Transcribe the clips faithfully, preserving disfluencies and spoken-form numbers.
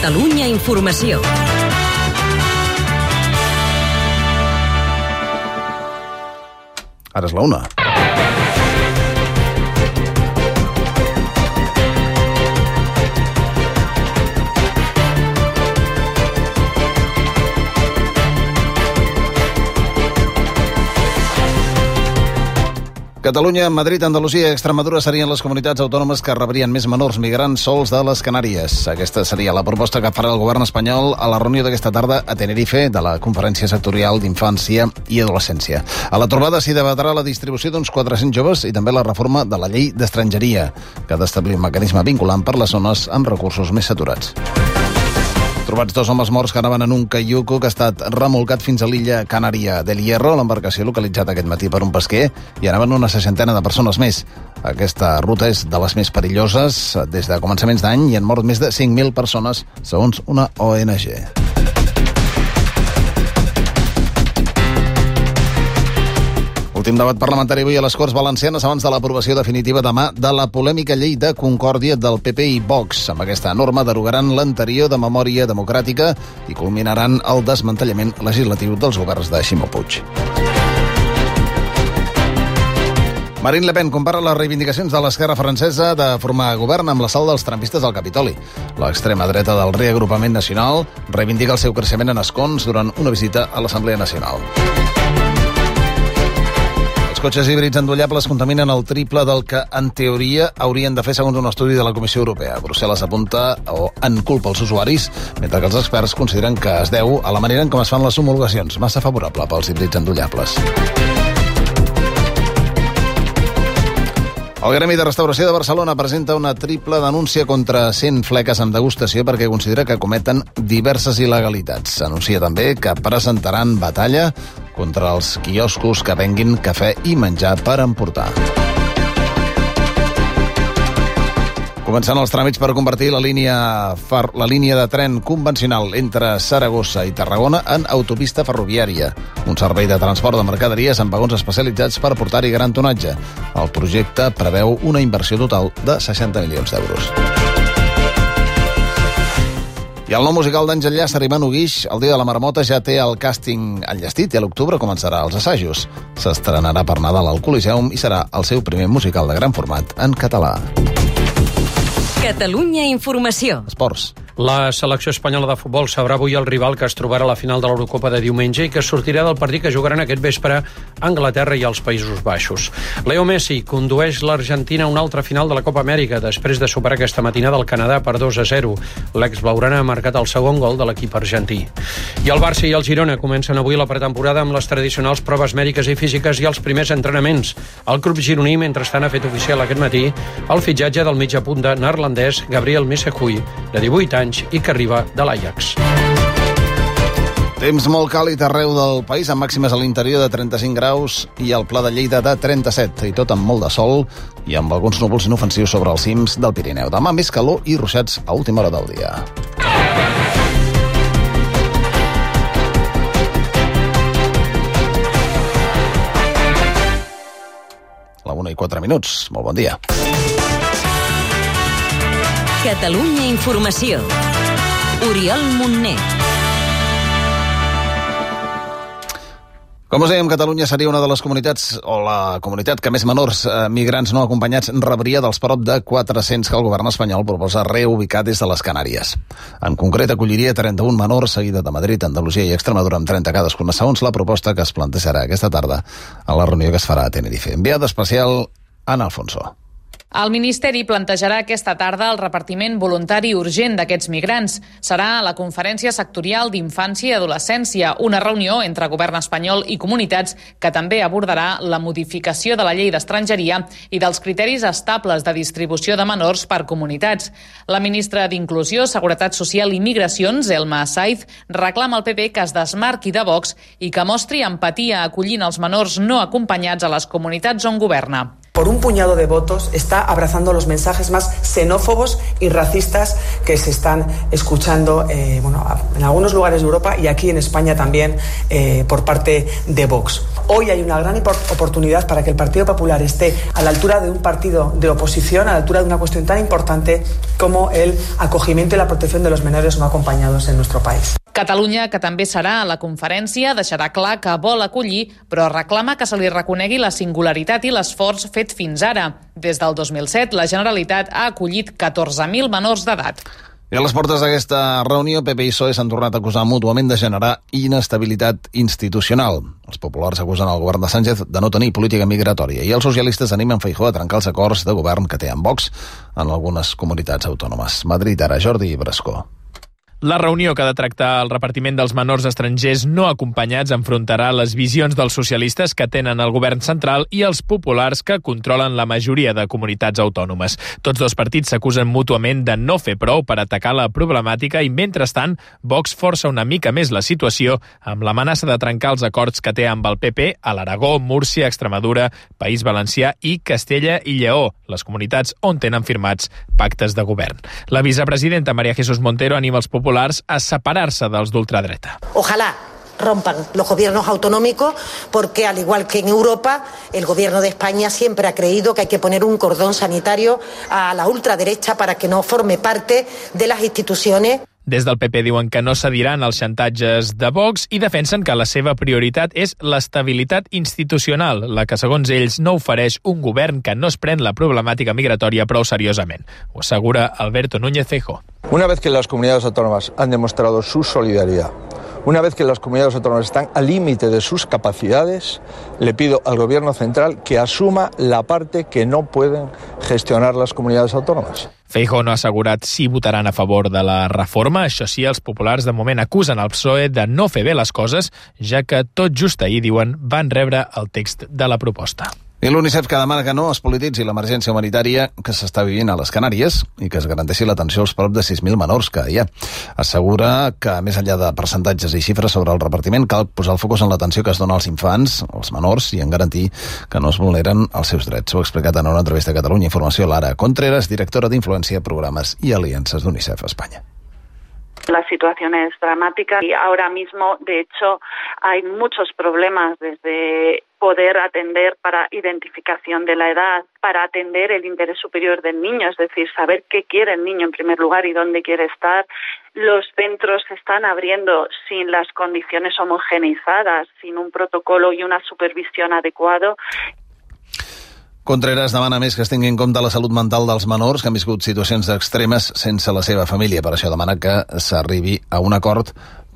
Catalunya Informació. Ara és la una. Catalunya, Madrid, Andalusia i Extremadura serien les comunitats autònomes que rebrien més menors migrants sols de les Canàries. Aquesta seria la proposta que farà el govern espanyol a la reunió d'aquesta tarda a Tenerife de la Conferència Sectorial d'Infància i Adolescència. A la trobada s'hi debatrà la distribució d'uns quatre-cents joves i també la reforma de la llei d'estrangeria, que ha d'establir un mecanisme vinculant per les zones amb recursos més saturats. Trobats dos homes morts que anaven en un caiuco que ha estat remolcat fins a l'illa Canària del Hierro, l'embarcació localitzada aquest matí per un pesquer, i anaven una seixantena de persones més. Aquesta ruta és de les més perilloses des de començaments d'any i han mort més de cinc mil persones, segons una O N G. Últim debat parlamentari avui a les Corts Valencianes abans de l'aprovació definitiva demà de la polèmica llei de concòrdia del P P i Vox. Amb aquesta norma derogaran l'anterior de memòria democràtica i culminaran el desmantellament legislatiu dels governs de Ximo Puig. Marine Le Pen compara les reivindicacions de l'esquerra francesa de formar govern amb l'assalt dels trampistes al Capitoli. L'extrema dreta del reagrupament nacional reivindica el seu creixement en escons durant una visita a l'Assemblea Nacional. Els cotxes híbrids endollables contaminen el triple del que, en teoria, haurien de fer segons un estudi de la Comissió Europea. Brussel·les apunta o en culpa els usuaris, mentre que els experts consideren que es deu a la manera en com es fan les homologacions, massa favorable pels híbrids endollables. El Gremi de Restauració de Barcelona presenta una triple denúncia contra cent fleques amb degustació perquè considera que cometen diverses il·legalitats. Anuncia també que presentaran batalla contra els quioscos que venguin cafè i menjar per emportar. Començant els tràmits per convertir la línia, far, la línia de tren convencional entre Saragossa i Tarragona en autopista ferroviària, un servei de transport de mercaderies amb vagons especialitzats per portar-hi gran tonatge. El projecte preveu una inversió total de seixanta milions d'euros. I el nou musical d'Àngel Llàcer i Manu Guix, El dia de la marmota, ja té el càsting enllestit i a l'octubre començarà els assajos. S'estrenarà per Nadal al Coliseum i serà el seu primer musical de gran format en català. Catalunya Informació. Esports. La selecció espanyola de futbol sabrà avui el rival que es trobarà a la final de l'Eurocopa de diumenge i que sortirà del partit que jugaran aquest vespre a Anglaterra i als Països Baixos. Leo Messi condueix l'Argentina a una altra final de la Copa Amèrica després de superar aquesta matinada el Canadà per dos a zero. L'ex-blaugrana ha marcat el segon gol de l'equip argentí. I el Barça i el Girona comencen avui la pretemporada amb les tradicionals proves mèdiques i físiques i els primers entrenaments. El club gironí, mentrestant, ha fet oficial aquest matí el fitxatge del mitja punta neerlandès Gabriel Missehui, de divuit anys, i que arriba de l'Ajax. Temps molt càlid arreu del país, amb màximes a l'interior de trenta-cinc graus i al Pla de Lleida de trenta-set, i tot amb molt de sol i amb alguns núvols inofensius sobre els cims del Pirineu. Demà més calor i ruixats a última hora del dia. La una i quatre minuts. Molt bon dia. Catalunya Informació. Oriol Montner. Com us dèiem, Catalunya seria una de les comunitats, o la comunitat que més menors eh, migrants no acompanyats rebria dels prop de quatre-cents que el govern espanyol proposa reubicar des de les Canàries. En concret, acolliria trenta-un menors, seguida de Madrid, Andalusia i Extremadura, amb trenta cadascuna, segons la proposta que es plantejarà aquesta tarda a la reunió que es farà a Tenerife. Enviada especial, Ana Alfonso. El Ministeri plantejarà aquesta tarda el repartiment voluntari urgent d'aquests migrants. Serà a la Conferència Sectorial d'Infància i Adolescència, una reunió entre govern espanyol i comunitats que també abordarà la modificació de la llei d'estrangeria i dels criteris estables de distribució de menors per comunitats. La ministra d'Inclusió, Seguretat Social i Migracions, Elma Saiz, reclama al P P que es desmarqui de Vox i que mostri empatia acollint els menors no acompanyats a les comunitats on governa. por un puñado de votos, está abrazando los mensajes más xenófobos y racistas que se están escuchando eh, bueno, en algunos lugares de Europa y aquí en España también eh, por parte de Vox. Hoy hay una gran oportunidad para que el Partido Popular esté a la altura de un partido de oposición, a la altura de una cuestión tan importante como el acogimiento y la protección de los menores no acompañados en nuestro país. Catalunya, que també serà a la conferència, deixarà clar que vol acollir, però reclama que se li reconegui la singularitat i l'esforç fet fins ara. Des del dos mil set, la Generalitat ha acollit catorze mil menors d'edat. I a les portes d'aquesta reunió, P P i P S O E s'han tornat a acusar mútuament de generar inestabilitat institucional. Els populars acusen el govern de Sánchez de no tenir política migratòria i els socialistes animen Feijóo a trencar els acords de govern que té amb Vox en algunes comunitats autònomes. Madrid, ara, Jordi Brascó. La reunió que ha de tractar el repartiment dels menors estrangers no acompanyats enfrontarà les visions dels socialistes que tenen el govern central i els populars que controlen la majoria de comunitats autònomes. Tots dos partits s'acusen mútuament de no fer prou per atacar la problemàtica i, mentrestant, Vox força una mica més la situació amb l'amenaça de trencar els acords que té amb el P P a l'Aragó, Múrcia, Extremadura, País Valencià i Castella i Lleó, les comunitats on tenen firmats pactes de govern. La vicepresidenta María Jesús Montero anima els populars a separar-se dels d'ultradreta. Ojalá rompan los gobiernos autonómicos porque, al igual que en Europa, el gobierno de España siempre ha creído que hay que poner un cordón sanitario a la ultraderecha para que no forme parte de las instituciones. Des del P P diuen que no cediran als xantatges de Vox i defensen que la seva prioritat és l'estabilitat institucional, la que, segons ells, no ofereix un govern que no es pren la problemàtica migratòria prou seriosament. Ho assegura Alberto Núñez Feijóo. Una vez que las comunidades autónomas han demostrado su solidaridad, una vez que las comunidades autónomas están al límite de sus capacidades, le pido al Gobierno central que asuma la parte que no pueden gestionar las comunidades autónomas. Feijóo no ha assegurat si votaran a favor de la reforma. Això sí, els populars de moment acusen el P S O E de no fer bé les coses, ja que tot just ahir, diuen, van rebre el text de la proposta. I l'UNICEF que demana que no es polititzi l'emergència humanitària que s'està vivint a les Canàries i que es garanteixi l'atenció als prop de sis mil menors que hi ha. Assegura que, més enllà de percentatges i xifres sobre el repartiment, cal posar el focus en l'atenció que es dona als infants, als menors, i en garantir que no es vulneren els seus drets. Ho ha explicat en una entrevista a Catalunya Informació Lara Contreras, directora d'Influència, Programes i Aliances d'UNICEF Espanya. La situación es dramática y ahora mismo, de hecho, hay muchos problemas desde poder atender para identificación de la edad, para atender el interés superior del niño, es decir, saber qué quiere el niño en primer lugar y dónde quiere estar. Los centros se están abriendo sin las condiciones homogeneizadas, sin un protocolo y una supervisión adecuado. Contreras demana més que es tingui en compte la salut mental dels menors que han viscut situacions extremes sense la seva família. Per això demana que s'arribi a un acord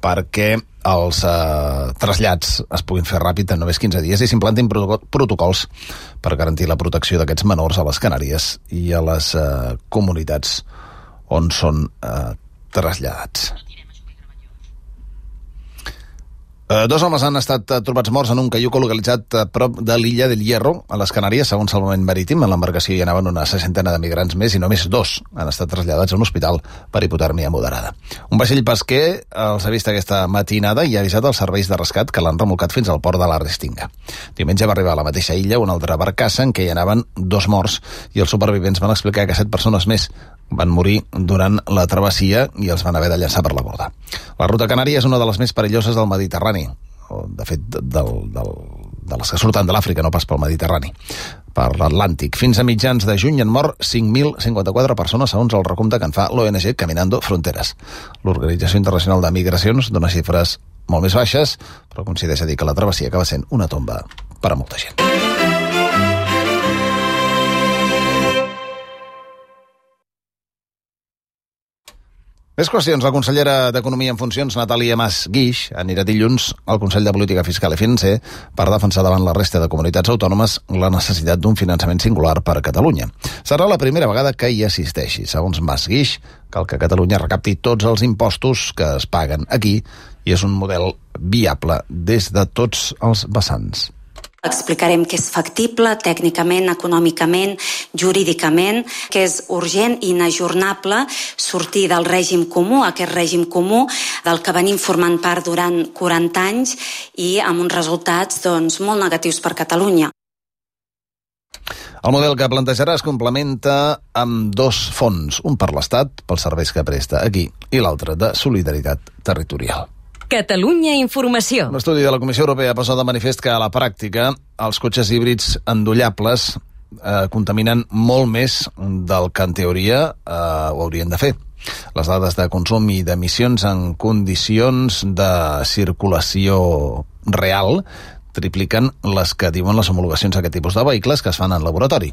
perquè els eh, trasllats es puguin fer ràpid en només quinze dies i s'implantin protocols per garantir la protecció d'aquests menors a les Canàries i a les eh, comunitats on són eh, traslladats. Uh, dos homes han estat uh, trobats morts en un caiuco localitzat a prop de l'illa del Hierro, a les Canàries, segons Salvament Marítim. En l'embarcació hi anaven una seixantena de migrants més i només dos han estat traslladats a un hospital per hipotèrmia moderada. Un vaixell pesquer els ha vist aquesta matinada i ha avisat els serveis de rescat que l'han remolcat fins al port de la Restinga. Diumenge va arribar a la mateixa illa una altra barcassa en què hi anaven dos morts i els supervivents van explicar que set persones més van morir durant la travessia i els van haver de llançar per la borda. La ruta canària és una de les més perilloses del Mediterrani, o de fet del, del, de les que surten de l'Àfrica, no pas pel Mediterrani, per l'Atlàntic. Fins a mitjans de juny han mort cinc mil cinquanta-quatre persones, segons el recompte que en fa l'O N G Caminando Fronteras. L'Organització Internacional de Migracions dona xifres molt més baixes, però coincideix a dir que la travessia acaba sent una tomba per a molta gent. Més qüestions. La consellera d'Economia en funcions, Natàlia Mas Guix, anirà dilluns al Consell de Política Fiscal i Financer per defensar davant la resta de comunitats autònomes la necessitat d'un finançament singular per a Catalunya. Serà la primera vegada que hi assisteixi. Segons Mas Guix, cal que Catalunya recapti tots els impostos que es paguen aquí i és un model viable des de tots els vessants. Explicarem que és factible tècnicament, econòmicament, jurídicament, que és urgent i inajornable sortir del règim comú, aquest règim comú del que venim formant part durant quaranta anys i amb uns resultats doncs, molt negatius per Catalunya. El model que plantejarà es complementa amb dos fons, un per l'Estat, pels serveis que presta aquí, i l'altre de solidaritat territorial. Catalunya Informació. Un estudi de la Comissió Europea posa de manifest que a la pràctica els cotxes híbrids endollables eh, contaminen molt més del que en teoria eh, ho haurien de fer. Les dades de consum i d'emissions en condicions de circulació real tripliquen les que diuen les homologacions a aquest tipus de vehicles que es fan en laboratori.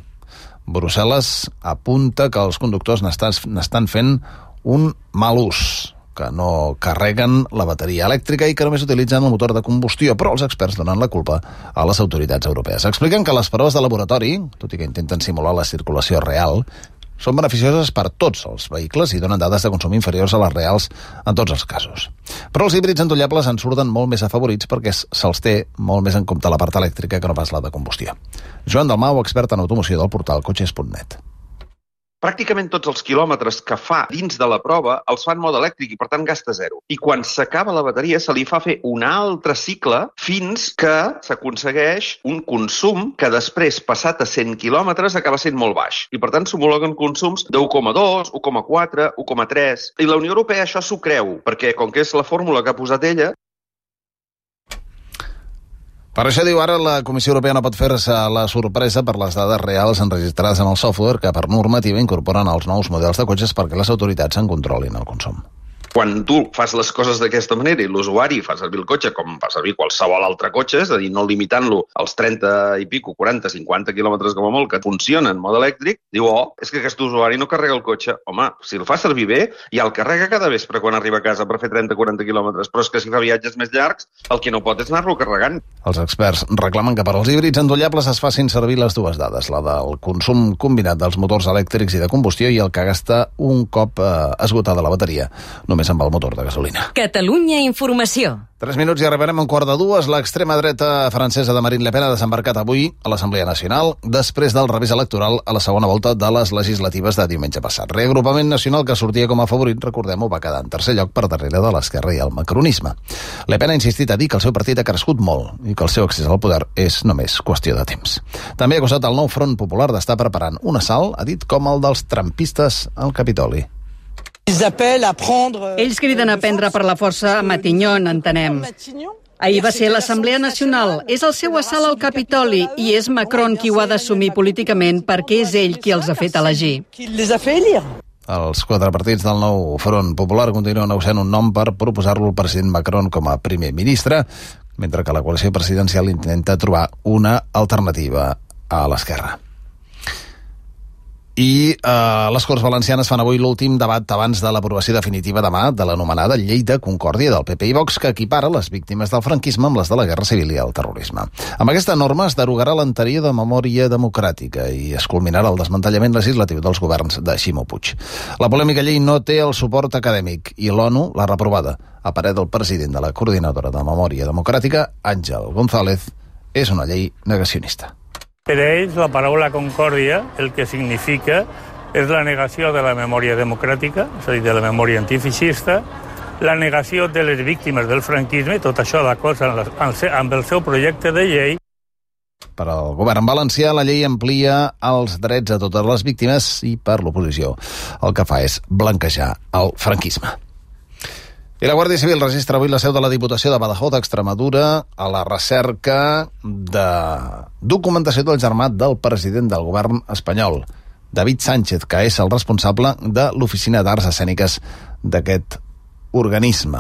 Brussel·les apunta que els conductors n'estan fent un mal ús, que no carreguen la bateria elèctrica i que només utilitzen el motor de combustió, però els experts donen la culpa a les autoritats europees. Expliquen que les proves de laboratori, tot i que intenten simular la circulació real, són beneficioses per tots els vehicles i donen dades de consum inferiors a les reals en tots els casos. Però els híbrids endollables en surten molt més afavorits perquè se'ls té molt més en compte la part elèctrica que no pas la de combustió. Joan Dalmau, expert en automoció del portal cotxes punt net. Pràcticament tots els quilòmetres que fa dins de la prova els fa en mode elèctric i, per tant, gasta zero. I quan s'acaba la bateria se li fa fer un altre cicle fins que s'aconsegueix un consum que després, passat a cent quilòmetres, acaba sent molt baix. I, per tant, s'homologuen consums de u coma dos, u coma quatre, u coma tres. I la Unió Europea això s'ho creu, perquè, com que és la fórmula que ha posat ella... Per això, diu ara, la Comissió Europea no pot fer-se la sorpresa per les dades reals enregistrades en el software que, per normativa, incorporen els nous models de cotxes perquè les autoritats en controlin el consum. Quan tu fas les coses d'aquesta manera i l'usuari fa servir el cotxe com fa servir qualsevol altre cotxe, és a dir, no limitant-lo als trenta i pico, quaranta, cinquanta quilòmetres com a molt, que funciona en mode elèctric, diu, oh, és que aquest usuari no carrega el cotxe. Home, si el fa servir bé, ja el carrega cada vespre quan arriba a casa per fer trenta o quaranta quilòmetres, però és que si fa viatges més llargs, el que no pot és anar-lo carregant. Els experts reclamen que per als híbrids endollables es facin servir les dues dades, la del consum combinat dels motors elèctrics i de combustió i el que gasta un cop eh, esgotada la bateria, només amb el motor de gasolina. Catalunya Informació. Tres minuts i arribarem a un quart de dues. L'extrema dreta francesa de Marine Le Pen ha desembarcat avui a l'Assemblea Nacional després del revés electoral a la segona volta de les legislatives de diumenge passat. Reagrupament nacional que sortia com a favorit, recordem-ho, va quedar en tercer lloc per darrere de l'esquerra i el macronisme. Le Pen ha insistit a dir que el seu partit ha crescut molt i que el seu accés al poder és només qüestió de temps. També ha acusat el nou Front Popular d'estar preparant un assalt, ha dit, com el dels trampistes al Capitoli. Ells criden a prendre per la força Matignon, entenem. Ahir va ser l'Assemblea Nacional, és el seu assalt al Capitoli i és Macron qui ho ha d'assumir políticament perquè és ell qui els ha fet elegir. Els quatre partits del nou Front Popular continuen negociant un nom per proposar-lo al president Macron com a primer ministre, mentre que la coalició presidencial intenta trobar una alternativa a l'esquerra. I eh, les Corts Valencianes fan avui l'últim debat abans de l'aprovació definitiva demà de l'anomenada Llei de Concòrdia del P P i Vox, que equipara les víctimes del franquisme amb les de la Guerra Civil i el terrorisme. Amb aquesta norma es derogarà l'anterior de memòria democràtica i es culminarà el desmantellament legislatiu dels governs de Ximo Puig. La polèmica llei no té el suport acadèmic i l'ONU l'ha reprovada. A parer del president de la Coordinadora de Memòria Democràtica, Àngel González, és una llei negacionista. Per a ells, la paraula concòrdia el que significa és la negació de la memòria democràtica, és a dir, de la memòria antifeixista, la negació de les víctimes del franquisme, tot això d'acord amb el seu projecte de llei. Per al govern valencià, la llei amplia els drets a totes les víctimes i per l'oposició el que fa és blanquejar el franquisme. I la Guàrdia Civil registra avui la seu de la Diputació de Badajoz, Extremadura, a la recerca de documentació del germà del president del govern espanyol, David Sánchez, que és el responsable de l'Oficina d'Arts Escèniques d'aquest organisme.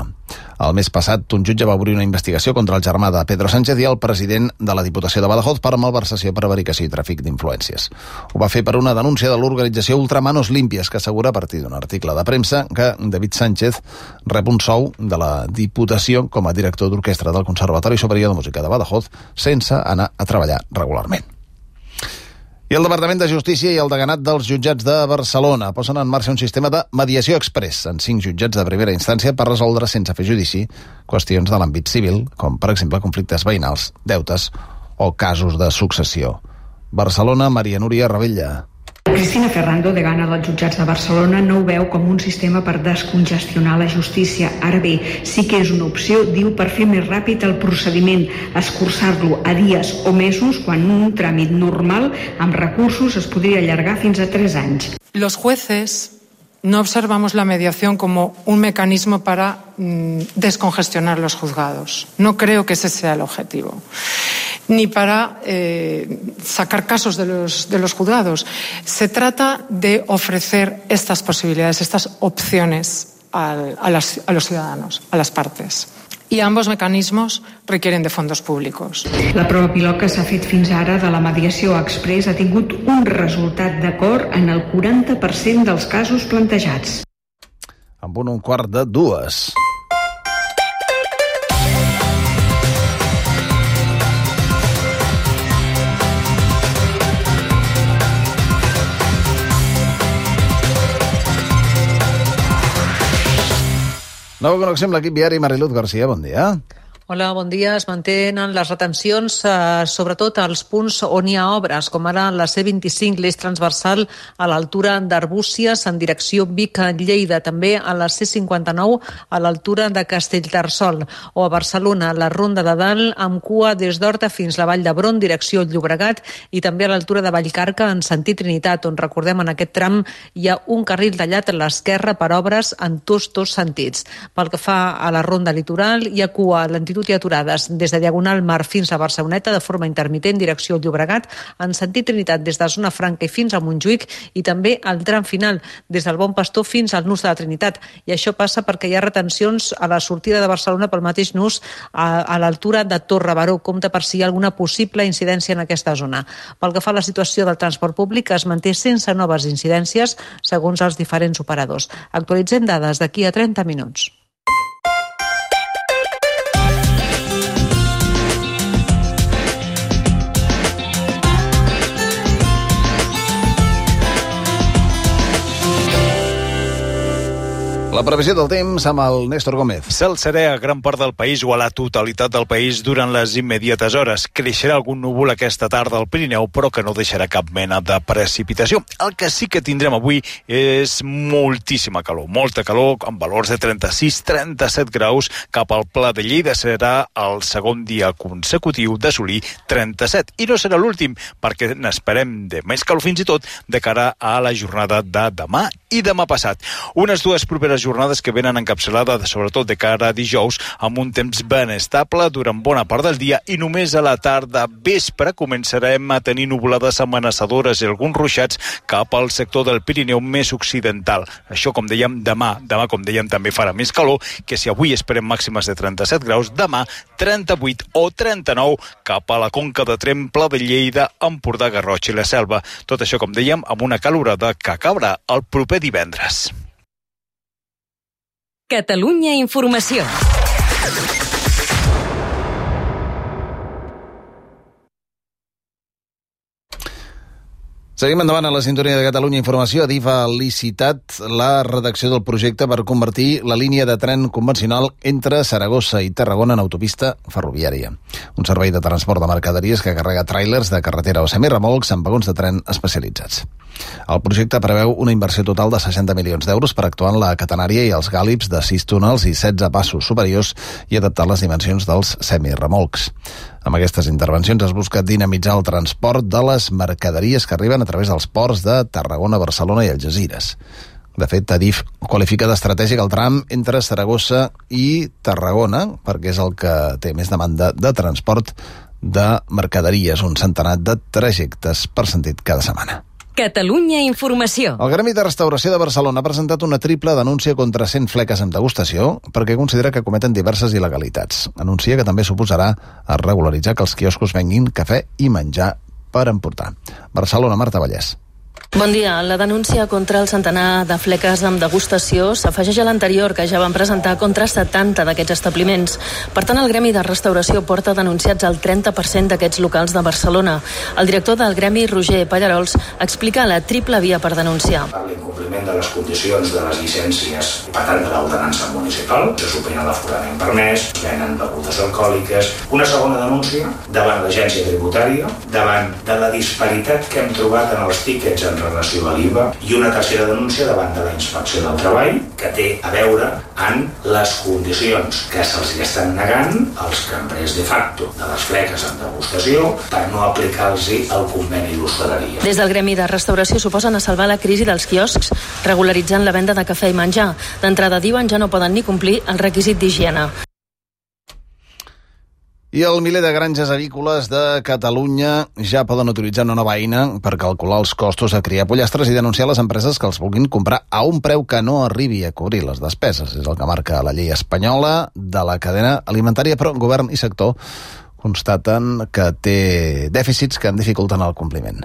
El mes passat, un jutge va obrir una investigació contra el germà de Pedro Sánchez i el president de la Diputació de Badajoz per malversació, prevaricació i tràfic d'influències. Ho va fer per una denúncia de l'organització Ultramanos Limpias, que assegura a partir d'un article de premsa que David Sánchez rep un sou de la Diputació com a director d'orquestra del Conservatori Superior de Música de Badajoz sense anar a treballar regularment. I el Departament de Justícia i el deganat dels jutjats de Barcelona posen en marxa un sistema de mediació express en cinc jutjats de primera instància per resoldre sense fer judici qüestions de l'àmbit civil, com per exemple conflictes veïnals, deutes o casos de successió. Barcelona, Maria Núria Ravella. Cristina Ferrando, degana dels jutjats de Barcelona, no ho veu com un sistema per descongestionar la justícia. Ara bé, sí que és una opció, diu, per fer més ràpid el procediment, escurçar-lo a dies o mesos, quan un tràmit normal amb recursos es podria allargar fins a tres anys. Los jueces no observamos la mediación como un mecanismo para mmm, descongestionar los juzgados. No creo que ese sea el objetivo. Ni para eh, sacar casos de los, de los juzgados. Se trata de ofrecer estas posibilidades, estas opciones a, a, las, a los ciudadanos, a las partes. I ambos mecanismos requieren de fondos públicos. La prova pilot que s'ha fet fins ara de la mediació express ha tingut un resultat d'acord en el quaranta per cent dels casos plantejats. Amb un, un quart de dues. Nova connexió amb l'equip viari. Mariluz García, bon dia. Hola, bon dia. Es mantenen les retencions, eh, sobretot als punts on hi ha obres, com ara la C vint-i-cinc, l'eix transversal a l'altura d'Arbúcies, en direcció Vic-Lleida, també a la C cinquanta-nou, a l'altura de Castellterçol, o a Barcelona, la Ronda de Dalt, amb cua des d'Horta fins la Vall d'Hebron, direcció Llobregat, i també a l'altura de Vallcarca, en sentit Trinitat, on, recordem, en aquest tram hi ha un carril tallat a l'esquerra per obres en tots dos sentits. Pel que fa a la Ronda Litoral, hi ha cua a l'entitat i aturades des de Diagonal Mar fins a Barceloneta de forma intermitent, direcció Llobregat, en sentit Trinitat des de Zona Franca i fins a Montjuïc, i també al tram final des del Bon Pastor fins al nus de la Trinitat. I això passa perquè hi ha retencions a la sortida de Barcelona pel mateix nus a, a l'altura de Torre Baró. Compte per si hi ha alguna possible incidència en aquesta zona. Pel que fa a la situació del transport públic, es manté sense noves incidències segons els diferents operadors. Actualitzem dades d'aquí a trenta minuts. La previsió del temps amb el Néstor Gómez. Cel serè a gran part del país o a la totalitat del país durant les immediates hores. Creixerà algun núvol aquesta tarda al Pirineu, però que no deixarà cap mena de precipitació. El que sí que tindrem avui és moltíssima calor, molta calor, amb valors de trenta-sis a trenta-set graus. Cap al Pla de Lleida serà el segon dia consecutiu d'assolir trenta-set. I no serà l'últim, perquè n'esperem de més calor fins i tot de cara a la jornada de demà i demà passat. Unes dues properes jornades que venen encapçalades, sobretot de cara a dijous, amb un temps ben estable durant bona part del dia i només a la tarda vespre començarem a tenir nuvolades amenaçadores i alguns ruixats cap al sector del Pirineu més occidental. Això, com dèiem, demà. Demà, com dèiem, també farà més calor, que si avui esperem màximes de trenta-set graus, demà trenta-vuit o trenta-nou cap a la Conca de Tremp, Pla de Lleida, Empordà, Garrotx i la Selva. Tot això, com dèiem, amb una calorada que acabarà el proper divendres. Catalunya Informació. Seguim endavant a la sintonia de Catalunya Informació. Adif ha licitat la redacció del projecte per convertir la línia de tren convencional entre Saragossa i Tarragona en autopista ferroviària. Un servei de transport de mercaderies que carrega tràilers de carretera o semiremolcs amb vagons de tren especialitzats. El projecte preveu una inversió total de seixanta milions d'euros per actuar en la catenària i els gàlips de sis túnels i setze passos superiors i adaptar les dimensions dels semiremolcs. Amb aquestes intervencions es busca dinamitzar el transport de les mercaderies que arriben a través dels ports de Tarragona, Barcelona i Algesires. De fet, Adif qualifica d'estratègic el tram entre Saragossa i Tarragona, perquè és el que té més demanda de transport de mercaderies, un centenar de trajectes per sentit cada setmana. Catalunya Informació. El Gremi de Restauració de Barcelona ha presentat una triple denúncia contra cent fleques amb degustació perquè considera que cometen diverses il·legalitats. Anuncia que també suposarà a regularitzar que els quioscos venguin cafè i menjar per emportar. Barcelona, Marta Vallès. Bon dia. La denúncia contra el centenar de fleques amb degustació s'afegeix a l'anterior, que ja van presentar contra setanta d'aquests establiments. Per tant, el Gremi de Restauració porta denunciats el trenta per cent d'aquests locals de Barcelona. El director del Gremi, Roger Pallarols, explica la triple via per denunciar. Per compliment de les condicions de les llicències, per tant de l'ordenança municipal, se supera l'aforament permès, venen begudes alcohòliques. Una segona denúncia davant l'agència tributària, davant de la disparitat que hem trobat en els tíquets en relació a l'I V A, i una tercera denúncia davant de la inspecció del treball, que té a veure amb les condicions que se'ls estan negant als cambrers de facto de les fleques en degustació per no aplicar-los el conveni d'hostaleria. Des del gremi de restauració suposen a salvar la crisi dels quioscs, regularitzant la venda de cafè i menjar. D'entrada diuen ja no poden ni complir el requisit d'higiene. I el miler de granges avícoles de Catalunya ja poden utilitzar una nova eina per calcular els costos a criar pollastres i denunciar les empreses que els vulguin comprar a un preu que no arribi a cobrir les despeses. És el que marca la llei espanyola de la cadena alimentària, però govern i sector constaten que té dèficits que en dificulten el compliment.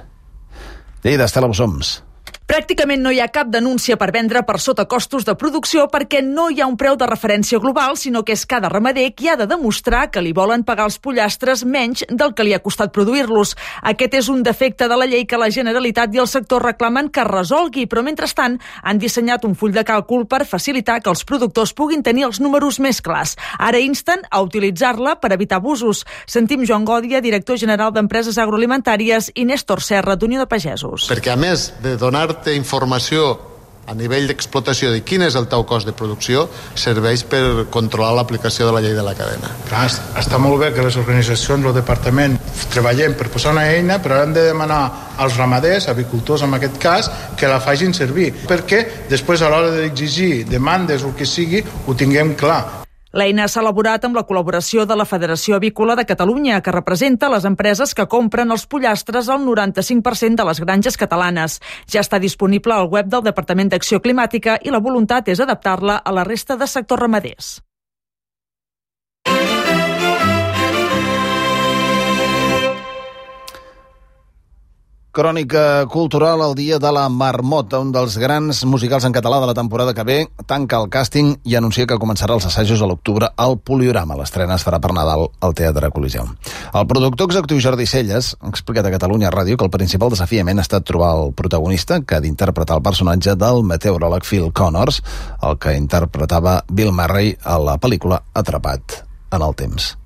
Llei d'Estela Bossoms. Pràcticament no hi ha cap denúncia per vendre per sota costos de producció perquè no hi ha un preu de referència global, sinó que és cada ramader qui ha de demostrar que li volen pagar els pollastres menys del que li ha costat produir-los. Aquest és un defecte de la llei que la Generalitat i el sector reclamen que resolgui, però mentrestant han dissenyat un full de càlcul per facilitar que els productors puguin tenir els números més clars. Ara insten a utilitzar-la per evitar abusos. Sentim Joan Gòdia, director general d'Empreses Agroalimentàries, i Néstor Serra, d'Unió de Pagesos. Perquè a més de donar informació a nivell d'explotació de quin és el teu cost de producció, serveix per controlar l'aplicació de la llei de la cadena. Clar, està molt bé que les organitzacions, el departament, treballem per posar una eina, però hem de demanar als ramaders, avicultors en aquest cas, que la facin servir, perquè després a l'hora d'exigir demandes o el que sigui, ho tinguem clar. L'eina s'ha elaborat amb la col·laboració de la Federació Avícola de Catalunya, que representa les empreses que compren els pollastres al noranta-cinc per cent de les granges catalanes. Ja està disponible al web del Departament d'Acció Climàtica i la voluntat és adaptar-la a la resta de sectors ramaders. Crònica cultural al dia de la Marmota, un dels grans musicals en català de la temporada que ve, tanca el càsting i anuncia que començarà els assajos a l'octubre al Poliorama. L'estrena es farà per Nadal al Teatre Coliseum. El productor executiu Jordi Celles ha explicat a Catalunya Ràdio que el principal desafiament ha estat trobar el protagonista que ha d'interpretar el personatge del meteoròleg Phil Connors, el que interpretava Bill Murray a la pel·lícula Atrapat en el temps.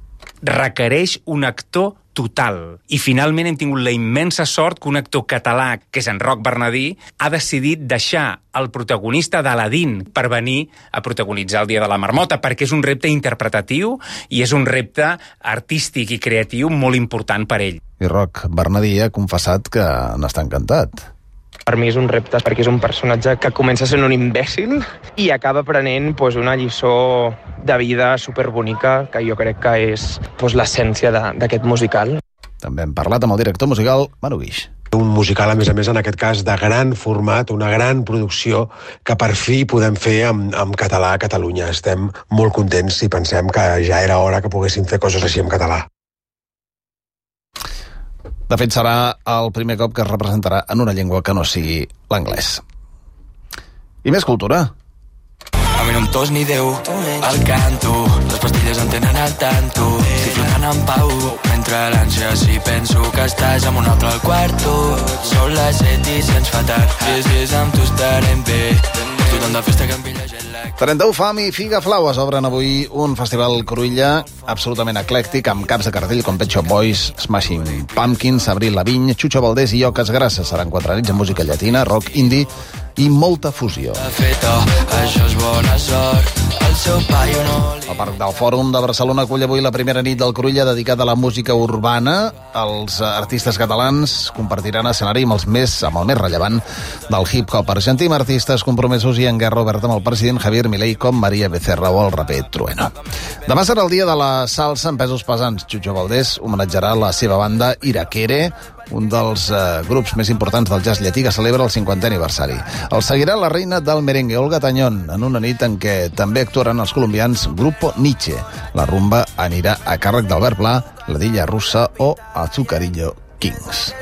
Requereix un actor total. I finalment hem tingut la immensa sort que un actor català, que és en Roc Bernadí, ha decidit deixar el protagonista d'Aladín per venir a protagonitzar el Dia de la Marmota, perquè és un repte interpretatiu i és un repte artístic i creatiu molt important per ell. I Roc Bernadí ha confessat que n'està encantat. Per mi és un repte perquè és un personatge que comença sent un imbècil i acaba aprenent pues, una lliçó de vida superbonica que jo crec que és pues, l'essència d'aquest musical. També hem parlat amb el director musical Manu Guix. Un musical, a més a més, en aquest cas, de gran format, una gran producció que per fi podem fer en, en català a Catalunya. Estem molt contents i pensem que ja era hora que poguéssim fer coses així en català. De fet, serà el primer cop que es representarà en una llengua que no sigui l'anglès. I més cultura. A mi no em tos ni Déu, al canto, les pastilles em tenen al tanto, estic flotant en pau, mentre l'ànsia si penso que estàs amb un altre al quarto, són les set i sents fatal, si és amb tu estarem bé, tothom de festa que em pilla jet lag. trenta-u Fam i Figa Flaues obren avui un festival Cruïlla absolutament eclèctic amb caps de cartell com Pet Shop Boys, Smashing Pumpkins, Avril Lavigne, Chucho Valdés i Oques Grasses. Seran quatre nits amb música llatina, rock, indie i molta fusió. Això és bona sort, el seu paio no li... El Parc del Fòrum de Barcelona acull avui la primera nit del Cruïlla dedicada a la música urbana. Els artistes catalans compartiran escenari amb els més, amb el més rellevant del hip-hop argentí, amb artistes compromesos i en guerra oberta amb el president Javier Milei com Maria Becerra o el raper Trueno. Demà serà el dia de la salsa en pesos pesants. Chucho Valdés homenatjarà la seva banda Iraquere, un dels eh, grups més importants del jazz llatí que celebra el cinquantè aniversari. El seguirà la reina del merengue, Olga Tañón, en una nit en què també actuaran els colombians Grupo Nietzsche. La rumba anirà a càrrec d'Albert Pla, la Dilla Russa o Azucarillo Kings.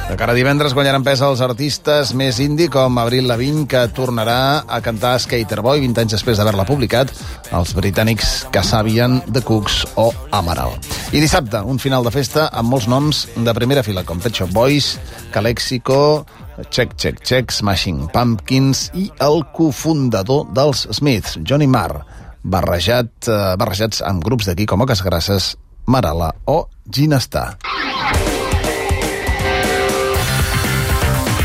De cara a divendres guanyaran pes els artistes més indie com Avril Lavigne, que tornarà a cantar Skater Boy vint anys després d'haver-la publicat, els britànics Kasabian, The Cooks o Amaral. I dissabte, un final de festa amb molts noms de primera fila com Pet Shop Boys, Calexico, Check, Check, Check, Smashing Pumpkins i el cofundador dels Smiths, Johnny Marr, barrejat, eh, barrejats amb grups d'aquí com Oques Grasses, Marala o Ginestar.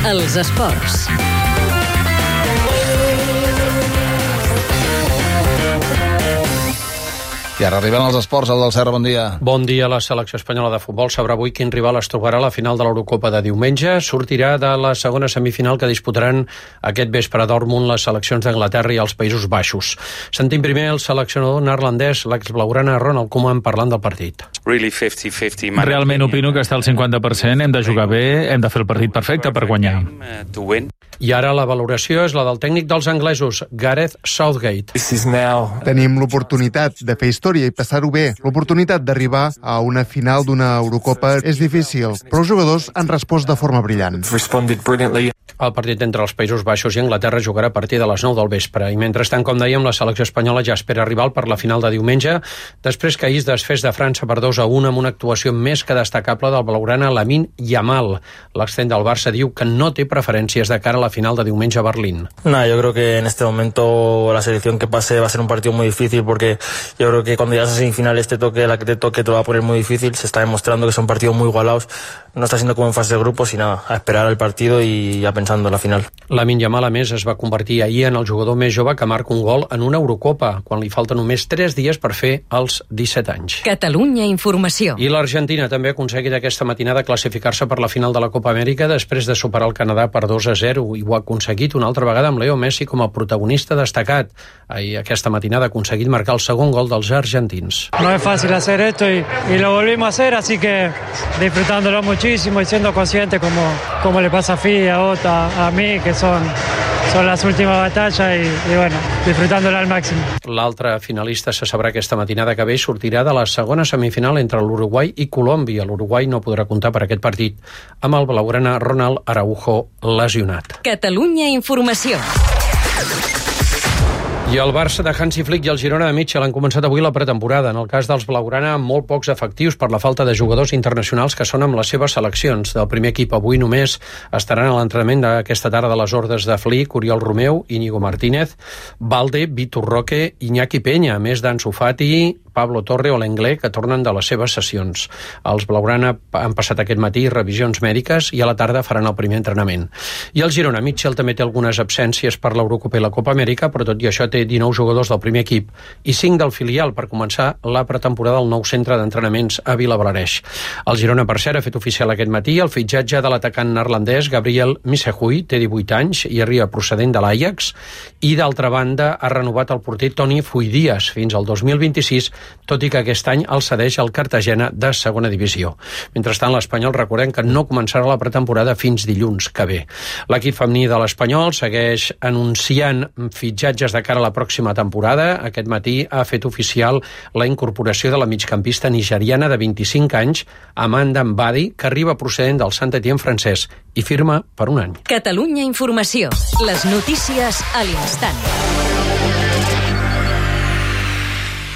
Els esports. I ara arriben els esports, el del Serra, bon dia. Bon dia. La selecció espanyola de futbol sabrà avui quin rival es trobarà a la final de l'Eurocopa de diumenge. Sortirà de la segona semifinal que disputaran aquest vespre a Dortmund les seleccions d'Anglaterra i els Països Baixos. Sentim primer el seleccionador neerlandès, l'exblaugrana Ronald Koeman, parlant del partit. Realment opino que està al cinquanta per cent, hem de jugar bé, hem de fer el partit perfecte per guanyar. I ara la valoració és la del tècnic dels anglesos, Gareth Southgate. Tenim l'oportunitat de fer història i passar-ho bé. L'oportunitat d'arribar a una final d'una Eurocopa és difícil, però els jugadors han respost de forma brillant. El partit entre els Països Baixos i Anglaterra jugarà a partir de les nou del vespre. I mentrestant, com dèiem, la selecció espanyola ja espera rival per la final de diumenge, després que ahir es desfés de França per dos a un amb una actuació més que destacable del blaugrana Lamine Yamal. L'extrem del Barça diu que no té preferències de cara a la final de diumenge a Berlín. No, yo creo que en este momento la selección que pase va a ser un partido muy difícil, porque yo creo que cuando llegas a semifinales te toque la que te toque te lo va a poner muy difícil. Se está demostrando que son partidos muy igualados. No está siendo como en fase de grupos y nada, a esperar el partido y ya pensando en la final. Lamine Yamal, a més, es va convertir ahir en el jugador més jove que marca un gol en una Eurocopa, quan li falten només tres dies per fer els disset anys. Catalunya Informació. I l'Argentina també ha aconseguit aquesta matinada classificar-se per la final de la Copa Amèrica després de superar el Canadà per dos a zero, i ho ha aconseguit una altra vegada amb Leo Messi com a protagonista destacat. Ahir aquesta matinada ha aconseguit marcar el segon gol dels argentins. No es fácil hacer esto y, y lo volvimos a hacer, así que disfrutándolo muchísimo y siendo consciente como, como le pasa a Fi, a Ota, a mí, que son, son las últimas batallas y, y bueno, disfrutándolo al máximo. L'altre finalista se sabrà aquesta matinada que ve i sortirà de la segona semifinal entre l'Uruguai i Colòmbia. L'Uruguai no podrà comptar per aquest partit amb el blaugrana Ronald Araujo lesionat. Catalunya Informació. I el Barça de Hansi Flick i el Girona de Mitchell han començat avui la pretemporada. En el cas dels blaugrana, amb molt pocs efectius per la falta de jugadors internacionals que són amb les seves seleccions. Del primer equip avui només estaran a l'entrenament d'aquesta tarda de les ordres de Flick, Oriol Romeu, Íñigo Martínez, Valde, Vitor Roque, Iñaki Peña, a més d'Ansu Fati, Pablo Torre o l'Englé, que tornen de les seves sessions. Els blaugrana han passat aquest matí revisions mèdiques i a la tarda faran el primer entrenament. I el Girona Mitchell també té algunes absències per l'Eurocopa i la Copa Amèrica, però tot i això té dinou jugadors del primer equip i cinc del filial per començar la pretemporada al nou centre d'entrenaments a Vilablareix. El Girona, per cert, ha fet oficial aquest matí el fitxatge de l'atacant neerlandès Gabriel Missehui, té divuit anys i arriba procedent de l'Ajax, i d'altra banda ha renovat el porter Toni Fuidias fins al dos mil vint-i-sis, tot i que aquest any el cedeix al Cartagena de segona divisió. Mentrestant, l'Espanyol, recordem que no començarà la pretemporada fins dilluns que ve. L'equip femení de l'Espanyol segueix anunciant fitxatges de cara a la pròxima temporada. Aquest matí ha fet oficial la incorporació de la migcampista nigeriana de vint-i-cinc anys, Amanda Mbadi, que arriba procedent del Saint-Étienne francès i firma per un any. Catalunya Informació. Les notícies a l'instant.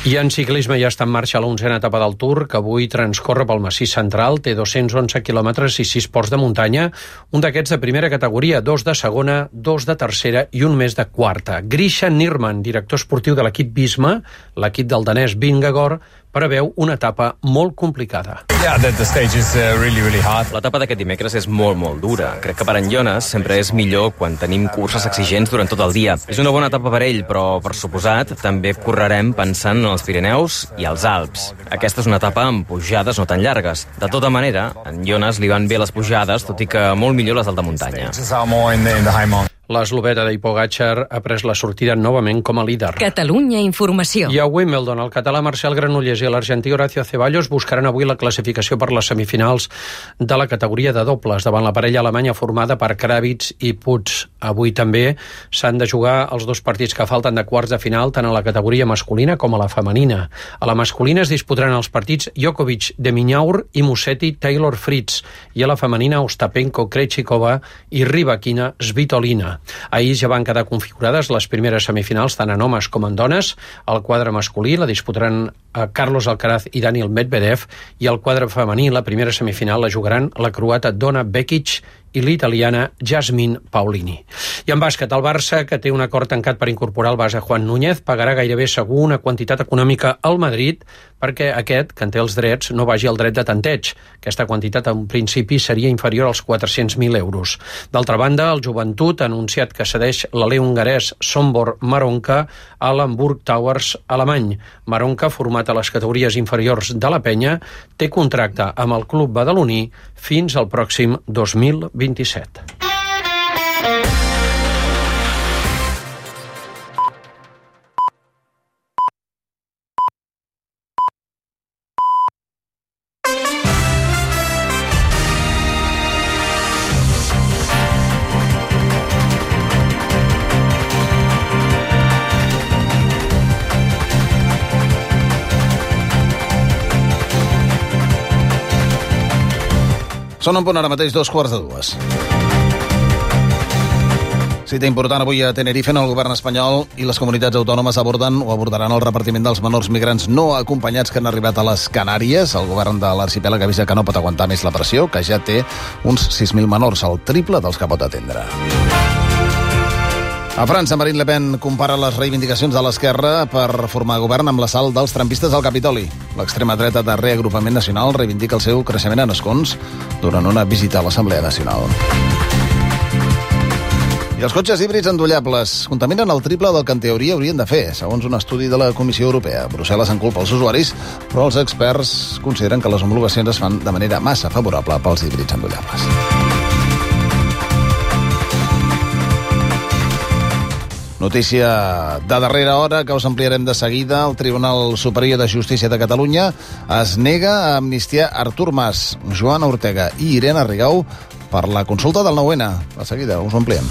I en ciclisme ja està en marxa l'onzena etapa del Tour, que avui transcorre pel massís central, té dos-cents onze quilòmetres i sis ports de muntanya, un d'aquests de primera categoria, dos de segona, dos de tercera i un més de quarta. Grisha Nirman, director esportiu de l'equip Visma, l'equip del danès Vingegaard, preveu una etapa molt complicada. L'etapa d'aquest dimecres és molt, molt dura. Crec que per en Jonas sempre és millor quan tenim curses exigents durant tot el dia. És una bona etapa per ell, però, per suposat, també correrem pensant en els Pirineus i els Alps. Aquesta és una etapa amb pujades no tan llargues. De tota manera, a en Jonas li van bé les pujades, tot i que molt millor les del de muntanya. L'esloveta de Pogačar ha pres la sortida novament com a líder. Catalunya Informació. I a Wimbledon, el català Marcel Granollers i l'argentí Horacio Ceballos buscaran avui la classificació per les semifinals de la categoria de dobles davant la parella alemanya formada per Kravitz i Puig. Avui també s'han de jugar els dos partits que falten de quarts de final tant a la categoria masculina com a la femenina. A la masculina es disputaran els partits Djokovic de Minaur i Musetti Taylor Fritz, i a la femenina Ostapenko Krejcikova i Rybakina Svitolina. Ahir ja van quedar configurades les primeres semifinals tant en homes com en dones. El quadre masculí la disputaran Carlos Alcaraz i Daniel Medvedev, i el quadre femení la primera semifinal la jugaran la croata Donna Vekic i l'italiana Jasmine Paolini. I en bàsquet, el Barça, que té un acord tancat per incorporar el base Juan Núñez, pagarà gairebé segur una quantitat econòmica al Madrid perquè aquest, que en té els drets, no vagi al dret de tanteig. Aquesta quantitat, en principi, seria inferior als quatre-cents mil euros. D'altra banda, el Joventut ha anunciat que cedeix l'alè hongarès Sombor Maronka a l'Hamburg Towers alemany. Maronka, format a les categories inferiors de la penya, té contracte amb el club badaloní fins al pròxim dos mil vint-i-set. Són un punt ara mateix dos quarts de dues. Cita important avui a Tenerife, en el govern espanyol i les comunitats autònomes aborden o abordaran el repartiment dels menors migrants no acompanyats que han arribat a les Canàries. El govern de l'arxipèlag avisa que no pot aguantar més la pressió, que ja té uns sis mil menors, el triple dels que pot atendre. A França, Marine Le Pen compara les reivindicacions de l'esquerra per formar govern amb l'assalt dels trampistes al Capitoli. L'extrema dreta de Reagrupament Nacional reivindica el seu creixement en escons durant una visita a l'Assemblea Nacional. I els cotxes híbrids endollables contaminen el triple del que en teoria haurien de fer, segons un estudi de la Comissió Europea. Brussel·les en culpa els usuaris, però els experts consideren que les homologacions es fan de manera massa favorable pels híbrids endollables. Notícia de darrera hora que us ampliarem de seguida. El Tribunal Superior de Justícia de Catalunya es nega a amnistiar Artur Mas, Joan Ortega i Irene Rigau per la consulta del nou ene. De seguida us ho ampliem.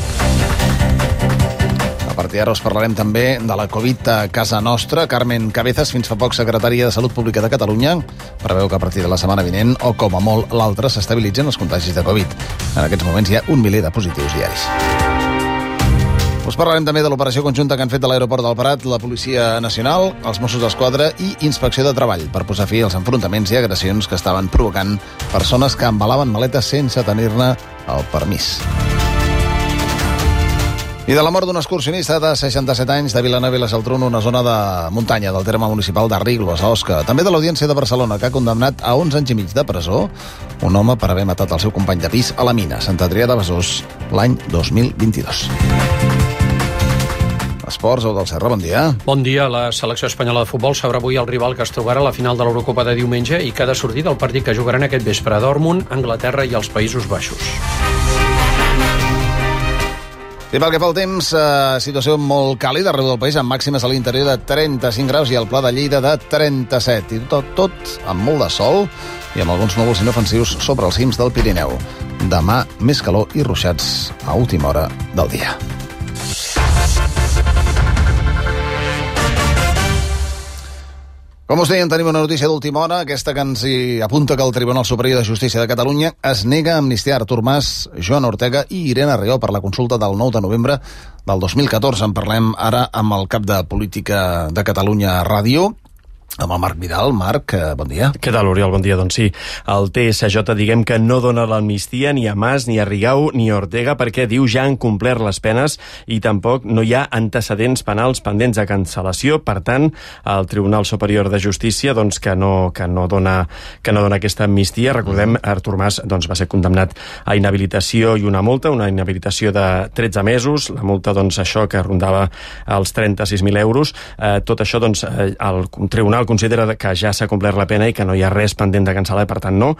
A partir d'ara us parlarem també de la Covid a casa nostra. Carmen Cabezas, fins fa poc secretària de Salut Pública de Catalunya, preveu que a partir de la setmana vinent, o com a molt l'altra, s'estabilitzen els contagis de Covid. En aquests moments hi ha un miler de positius diaris. Us parlarem també de l'operació conjunta que han fet de l'aeroport del Prat la Policia Nacional, els Mossos d'Esquadra i Inspecció de Treball per posar fi als enfrontaments i agressions que estaven provocant persones que embalaven maletes sense tenir-ne el permís. I de la mort d'un excursionista de seixanta-set anys de Vilanova i la Geltrú, una zona de muntanya del terme municipal d'Arriglos, a Osca. També de l'Audiència de Barcelona, que ha condemnat a onze anys i mig de presó un home per haver matat el seu company de pis a la mina, Sant Adrià de Besòs, l'any dos mil vint-i-dos. Esports, o del Serra, bon dia. Bon dia. La selecció espanyola de futbol sabrà avui el rival que es trobarà a la final de l'Eurocopa de diumenge i que ha de sortir del partit que jugaran aquest vespre a Dortmund, Anglaterra i els Països Baixos. I pel que fa al temps, eh, situació molt càlida arreu del país, amb màximes a l'interior de trenta-cinc graus i al Pla de Lleida de trenta-set. I tot, tot amb molt de sol i amb alguns núvols inofensius sobre els cims del Pirineu. Demà, més calor i ruixats a última hora del dia. Com us deien, tenim una notícia d'última hora, aquesta que ens hi apunta que el Tribunal Superior de Justícia de Catalunya es nega a amnistiar Artur Mas, Joan Ortega i Irene Rigau per la consulta del nou de novembre del dos mil catorze. En parlem ara amb el cap de Política de Catalunya Ràdio, amb el Marc Vidal. Marc, bon dia. Què tal, Oriol? Bon dia. Doncs sí, el T S J diguem que no dona l'amnistia ni a Mas, ni a Rigau, ni a Ortega, perquè diu ja han complert les penes i tampoc no hi ha antecedents penals pendents de cancel·lació. Per tant, el Tribunal Superior de Justícia doncs, que, no, que, no dona, que no dona aquesta amnistia. Recordem, Artur Mas doncs, va ser condemnat a inhabilitació i una multa, una inhabilitació de tretze mesos, la multa, doncs, això que rondava els trenta-sis mil euros. Eh, tot això, doncs, el Tribunal considera que ja s'ha complert la pena i que no hi ha res pendent de cancel·lar, per tant no,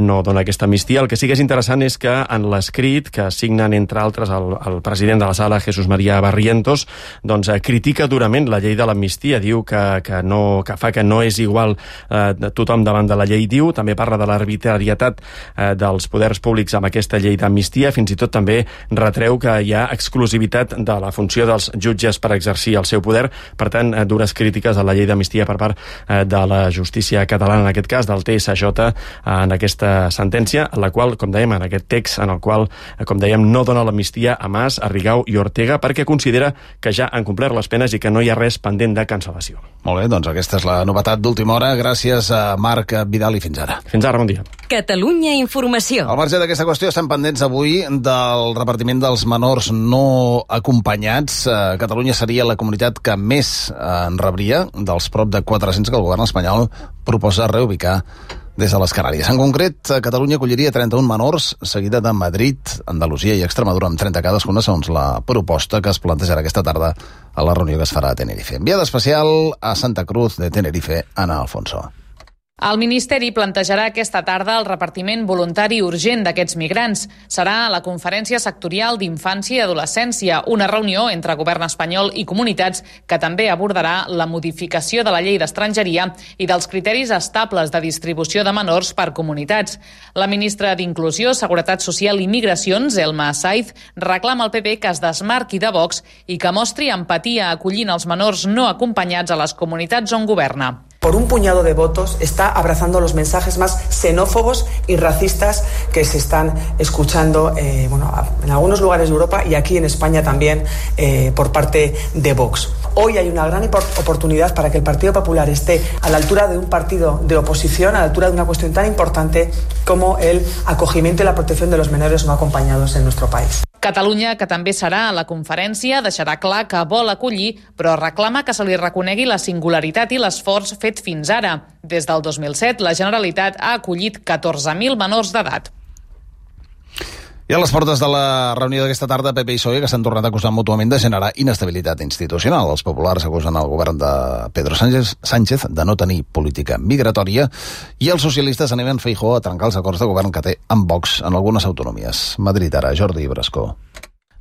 no dona aquesta amnistia. El que sí que és interessant és que en l'escrit que signen, entre altres, el, el president de la sala, Jesús María Barrientos, doncs eh, critica durament la llei de l'amnistia, diu que, que, no, que fa que no és igual eh, tothom davant de la llei, diu, també parla de l'arbitrarietat eh, dels poders públics amb aquesta llei d'amnistia, fins i tot també retreu que hi ha exclusivitat de la funció dels jutges per exercir el seu poder, per tant, eh, dures crítiques a la llei d'amnistia per part de la justícia catalana, en aquest cas del T S J, en aquesta sentència, en la qual, com dèiem, en aquest text, en el qual, com dèiem, no dona l'amnistia a Mas, a Rigau i Ortega, perquè considera que ja han complert les penes i que no hi ha res pendent de cancel·lació. Molt bé, doncs aquesta és la novetat d'última hora. Gràcies a Marc Vidal i fins ara. Fins ara, bon dia. Catalunya Informació. Al marge d'aquesta qüestió estan pendents avui del repartiment dels menors no acompanyats. Catalunya seria la comunitat que més en rebria dels prop de quatre-cents que el govern espanyol proposa reubicar des de les Canàries. En concret, Catalunya acolliria trenta-un menors, seguida de Madrid, Andalusia i Extremadura, amb trenta cadascuna, segons la proposta que es plantejarà aquesta tarda a la reunió que es farà a Tenerife. Enviada especial a Santa Cruz de Tenerife, Ana Alfonso. El Ministeri plantejarà aquesta tarda el repartiment voluntari urgent d'aquests migrants. Serà a la Conferència Sectorial d'Infància i Adolescència, una reunió entre govern espanyol i comunitats que també abordarà la modificació de la llei d'estrangeria i dels criteris estables de distribució de menors per comunitats. La ministra d'Inclusió, Seguretat Social i Migracions, Elma Saiz, reclama al P P que es desmarqui de Vox i que mostri empatia acollint els menors no acompanyats a les comunitats on governa. Por un puñado de votos está abrazando los mensajes más xenófobos y racistas que se están escuchando eh, bueno, en algunos lugares de Europa y aquí en España también eh, por parte de Vox. Hoy hay una gran oportunidad para que el Partido Popular esté a la altura de un partido de oposición, a la altura de una cuestión tan importante como el acogimiento y la protección de los menores no acompañados en nuestro país. Catalunya, que també serà a la conferència, deixarà clar que vol acollir, però reclama que se li reconegui la singularitat i l'esforç fet fins ara. Des del dos mil set, la Generalitat ha acollit catorze mil menors d'edat. I a les portes de la reunió d'aquesta tarda, P P i P S O E, que s'han tornat acusant mútuament de generar inestabilitat institucional. Els populars acusen el govern de Pedro Sánchez, Sánchez de no tenir política migratòria i els socialistes animen Feijóo a trencar els acords de govern que té amb Vox en algunes autonomies. Madrid, ara, Jordi Brascó.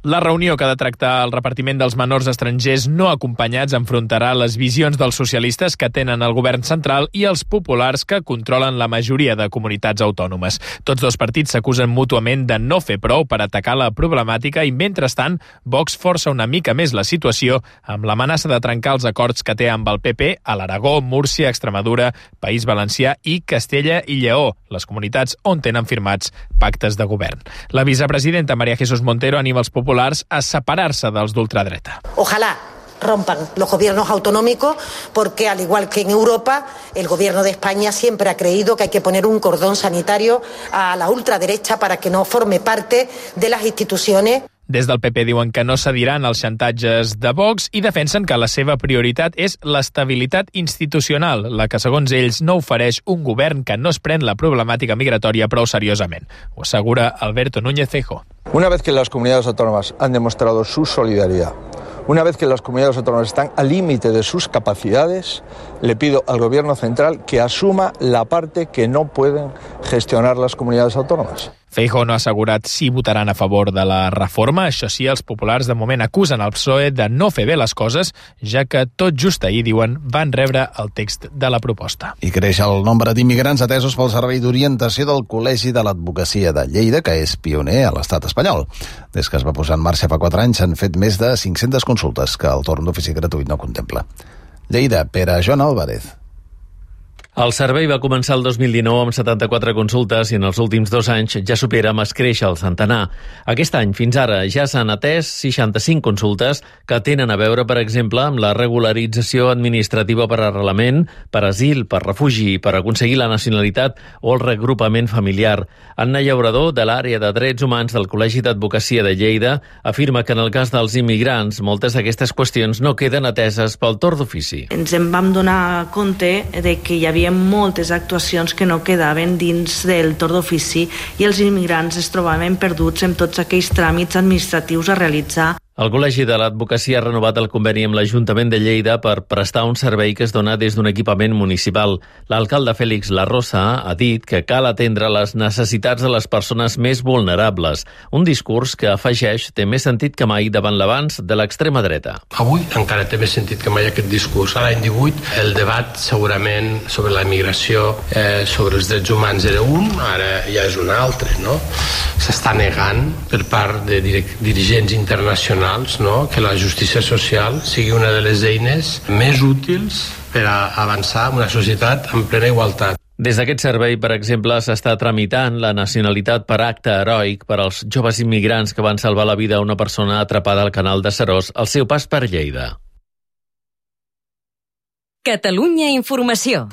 La reunió que ha de tractar el repartiment dels menors estrangers no acompanyats enfrontarà les visions dels socialistes que tenen el govern central i els populars que controlen la majoria de comunitats autònomes. Tots dos partits s'acusen mútuament de no fer prou per atacar la problemàtica i, mentrestant, Vox força una mica més la situació amb l'amenaça de trencar els acords que té amb el P P a l'Aragó, Múrcia, Extremadura, País Valencià i Castella i Lleó, les comunitats on tenen firmats pactes de govern. La vicepresidenta María Jesús Montero anima els populars a separar-se dels d'ultradreta. Ojalá rompan los gobiernos autonómicos porque, al igual que en Europa, el gobierno de España siempre ha creído que hay que poner un cordón sanitario a la ultraderecha para que no forme parte de las instituciones. Des del P P diuen que no cediran als xantatges de Vox i defensen que la seva prioritat és l'estabilitat institucional, la que, segons ells, no ofereix un govern que no es pren la problemàtica migratòria prou seriosament. Ho assegura Alberto Núñez Feijóo. Una vez que las comunidades autónomas han demostrado su solidaridad, una vez que las comunidades autónomas están al límite de sus capacidades, le pido al Gobierno central que asuma la parte que no pueden gestionar las comunidades autónomas. Feijóo no ha assegurat si votaran a favor de la reforma. Això sí, els populars de moment acusen el P S O E de no fer bé les coses, ja que tot just ahir, diuen, van rebre el text de la proposta. I creix el nombre d'immigrants atesos pel Servei d'Orientació del Col·legi de l'Advocacia de Lleida, que és pioner a l'estat espanyol. Des que es va posar en marxa fa quatre anys s'han fet més de cinc-centes consultes que el torn d'ofici gratuït no contempla. Lleida, Pere Joan Álvarez. El servei va començar el dos mil dinou amb setanta-quatre consultes i en els últims dos anys ja supera amb escreix el centenar. Aquest any, fins ara, ja s'han atès seixanta-cinc consultes que tenen a veure, per exemple, amb la regularització administrativa per arrelament, per asil, per refugi, per aconseguir la nacionalitat o el regrupament familiar. Anna Llaurador, de l'àrea de Drets Humans del Col·legi d'Advocacia de Lleida, afirma que en el cas dels immigrants moltes d'aquestes qüestions no queden ateses pel torn d'ofici. Ens en vam donar compte de que hi havia moltes actuacions que no quedaven dins del torn d'ofici i els immigrants es trobaven perduts en tots aquells tràmits administratius a realitzar. El Col·legi de l'Advocacia ha renovat el conveni amb l'Ajuntament de Lleida per prestar un servei que es dona des d'un equipament municipal. L'alcalde Fèlix Larrosa ha dit que cal atendre les necessitats de les persones més vulnerables, un discurs que, afegeix, té més sentit que mai davant l'avanç de l'extrema dreta. Avui encara té més sentit que mai aquest discurs. A l'any divuit el debat segurament sobre la immigració, eh, sobre els drets humans era un, ara ja és un altre, no? S'està negant per part de dirigents internacionals no? que la justícia social sigui una de les eines més útils per a avançar en una societat en plena igualtat. Des d'aquest servei, per exemple, s'està tramitant la nacionalitat per acte heroic per als joves immigrants que van salvar la vida a una persona atrapada al canal de Seròs al seu pas per Lleida. Catalunya Informació.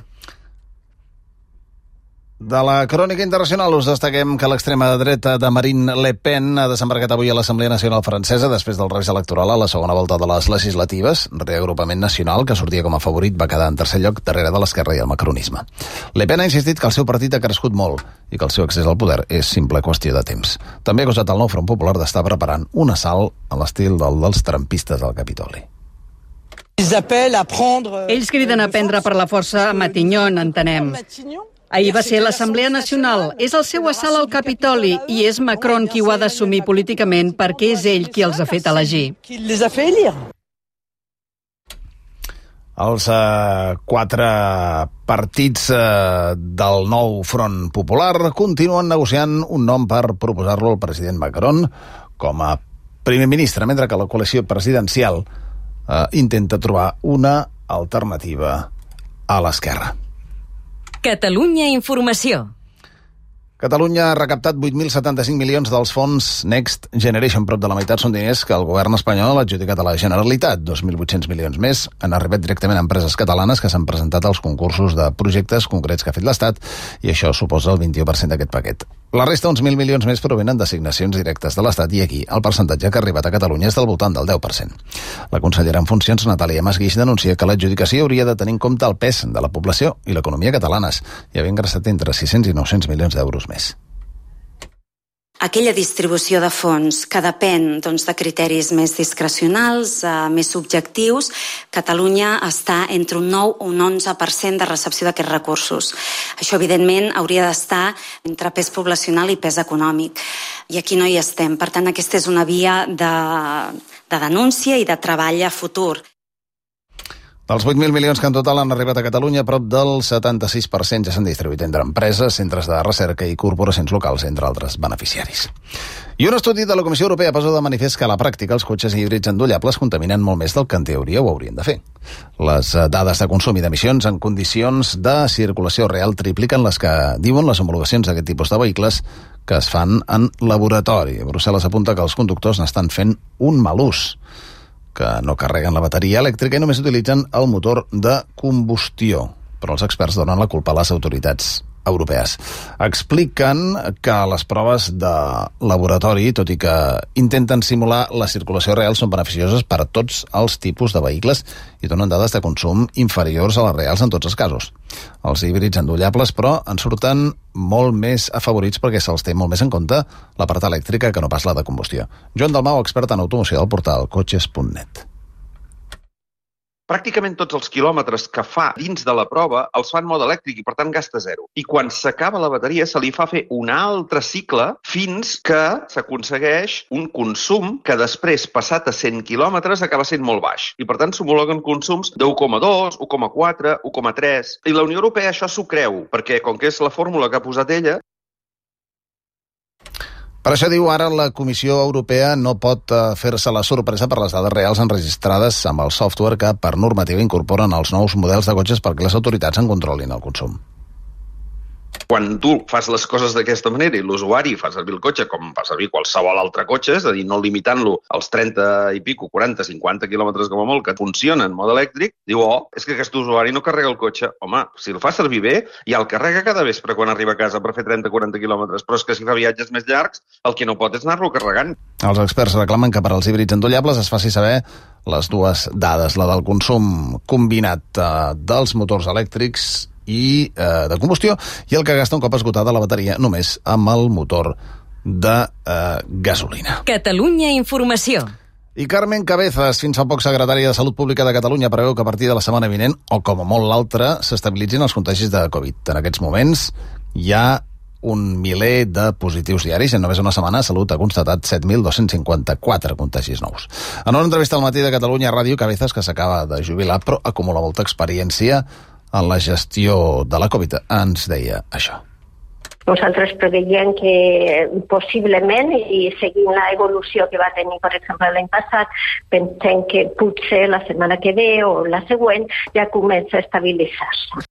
De la crònica internacional us destaquem que l'extrema dreta de Marine Le Pen ha desembarcat avui a l'Assemblea Nacional Francesa després del revés electoral a la segona volta de les legislatives. Reagrupament Nacional, que sortia com a favorit, va quedar en tercer lloc darrere de l'esquerra i el macronisme. Le Pen ha insistit que el seu partit ha crescut molt i que el seu accés al poder és simple qüestió de temps. També ha acusat el nou Front Popular d'estar preparant un assalt a l'estil del dels trampistes al Capitoli. Ells criden a prendre per la força Matignon, entenem. Ahir va ser l'Assemblea Nacional, és el seu assalt al Capitoli i és Macron qui ho ha d'assumir políticament perquè és ell qui els ha fet elegir. Els eh, quatre partits eh, del nou Front Popular continuen negociant un nom per proposar-lo al president Macron com a primer ministre, mentre que la coalició presidencial eh, intenta trobar una alternativa a l'esquerra. Catalunya Informació. Catalunya ha recaptat vuit mil setanta-cinc milions dels fons Next Generation. Prop de la meitat són diners que el govern espanyol ha adjudicat a la Generalitat. dos mil vuit-cents milions més han arribat directament a empreses catalanes que s'han presentat als concursos de projectes concrets que ha fet l'Estat, i això suposa el vint-i-u per cent d'aquest paquet. La resta, uns mil milions més, provenen d'assignacions directes de l'Estat, i aquí el percentatge que ha arribat a Catalunya és del voltant del deu per cent. La consellera en funcions, Natàlia Masguix, denuncia que l'adjudicació hauria de tenir en compte el pes de la població i l'economia catalanes i haver ingressat entre sis-cents i nou-cents milions d'euros més. Aquella distribució de fons que depèn doncs, de criteris més discrecionals, eh, més subjectius, Catalunya està entre un nou o un onze per cent de recepció d'aquests recursos. Això, evidentment, hauria d'estar entre pes poblacional i pes econòmic. I aquí no hi estem. Per tant, aquesta és una via de, de denúncia i de treball a futur. Dels vuit mil milions que en total han arribat a Catalunya, prop del setanta-sis per cent ja s'han distribuït entre empreses, centres de recerca i corporacions locals, entre altres beneficiaris. I un estudi de la Comissió Europea posa de manifest que a la pràctica els cotxes híbrids endollables contaminen molt més del que en teoria ho haurien de fer. Les dades de consum i d'emissions en condicions de circulació real tripliquen les que diuen les homologacions d'aquest tipus de vehicles que es fan en laboratori. Brussel·les apunta que els conductors n'estan fent un mal ús, que no carreguen la bateria elèctrica i només utilitzen el motor de combustió. Però els experts donen la culpa a les autoritats europees. Expliquen que les proves de laboratori, tot i que intenten simular la circulació real, són beneficioses per a tots els tipus de vehicles i donen dades de consum inferiors a les reals en tots els casos. Els híbrids endollables, però, en surten molt més afavorits perquè se'ls té molt més en compte la part elèctrica que no pas la de combustió. Joan Dalmau, expert en automoció del portal cotxes punt net. Pràcticament tots els quilòmetres que fa dins de la prova els fa en mode elèctric i, per tant, gasta zero. I quan s'acaba la bateria se li fa fer un altre cicle fins que s'aconsegueix un consum que després, passat a cent quilòmetres, acaba sent molt baix. I, per tant, s'homologuen consums de u coma dos, u coma quatre, u coma tres. I la Unió Europea això s'ho creu, perquè, com que és la fórmula que ha posat ella... Per això, diu, ara la Comissió Europea no pot fer-se la sorpresa per les dades reals enregistrades amb el software que per normativa incorporen els nous models de cotxes perquè les autoritats en controlin el consum. Quan tu fas les coses d'aquesta manera i l'usuari fa servir el cotxe com fa servir qualsevol altre cotxe, és a dir, no limitant-lo als trenta i pico, quaranta, cinquanta quilòmetres com a molt, que funciona en mode elèctric, diu, oh, és que aquest usuari no carrega el cotxe. Home, si el fa servir bé, ja el carrega cada vespre quan arriba a casa per fer trenta o quaranta quilòmetres, però és que si fa viatges més llargs, el que no pot és anar-lo carregant. Els experts reclamen que per als híbrids endollables es faci saber les dues dades, la del consum combinat eh, dels motors elèctrics i eh, de combustió, i el que gasta un cop esgotada la bateria només amb el motor de eh, gasolina. Catalunya Informació. I Carmen Cabezas, fins fa poc secretària de Salut Pública de Catalunya, preveu que a partir de la setmana vinent, o com a molt l'altra, s'estabilitzin els contagis de Covid. En aquests moments hi ha un miler de positius diaris. En només una setmana, Salut ha constatat set mil dos-cents cinquanta-quatre contagis nous. En una entrevista al Matí de Catalunya Ràdio, Cabezas, que s'acaba de jubilar, però acumula molta experiència en la gestió de la Covid, ens deia això. Nosaltres preveiem que possiblement, i seguint l'evolució que va tenir, per exemple, l'any passat, pensem que potser la setmana que ve o la següent ja comença a estabilitzar-se.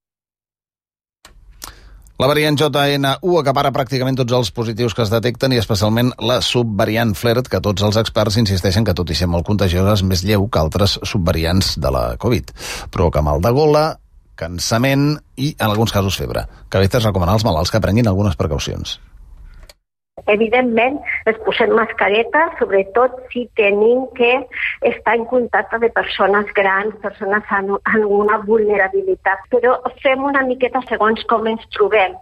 La variant J N U acapara pràcticament tots els positius que es detecten i especialment la subvariant Flirt, que tots els experts insisteixen que, tot i ser molt contagiosa, és més lleu que altres subvariants de la Covid. Provoca mal de gola, cansament i, en alguns casos, febre. Cabezas recomana als malalts que prenguin algunes precaucions. Evidentment, es posem mascareta, sobretot si tenim que estar en contacte de persones grans, persones amb alguna vulnerabilitat, però fem una miqueta segons com ens trobem.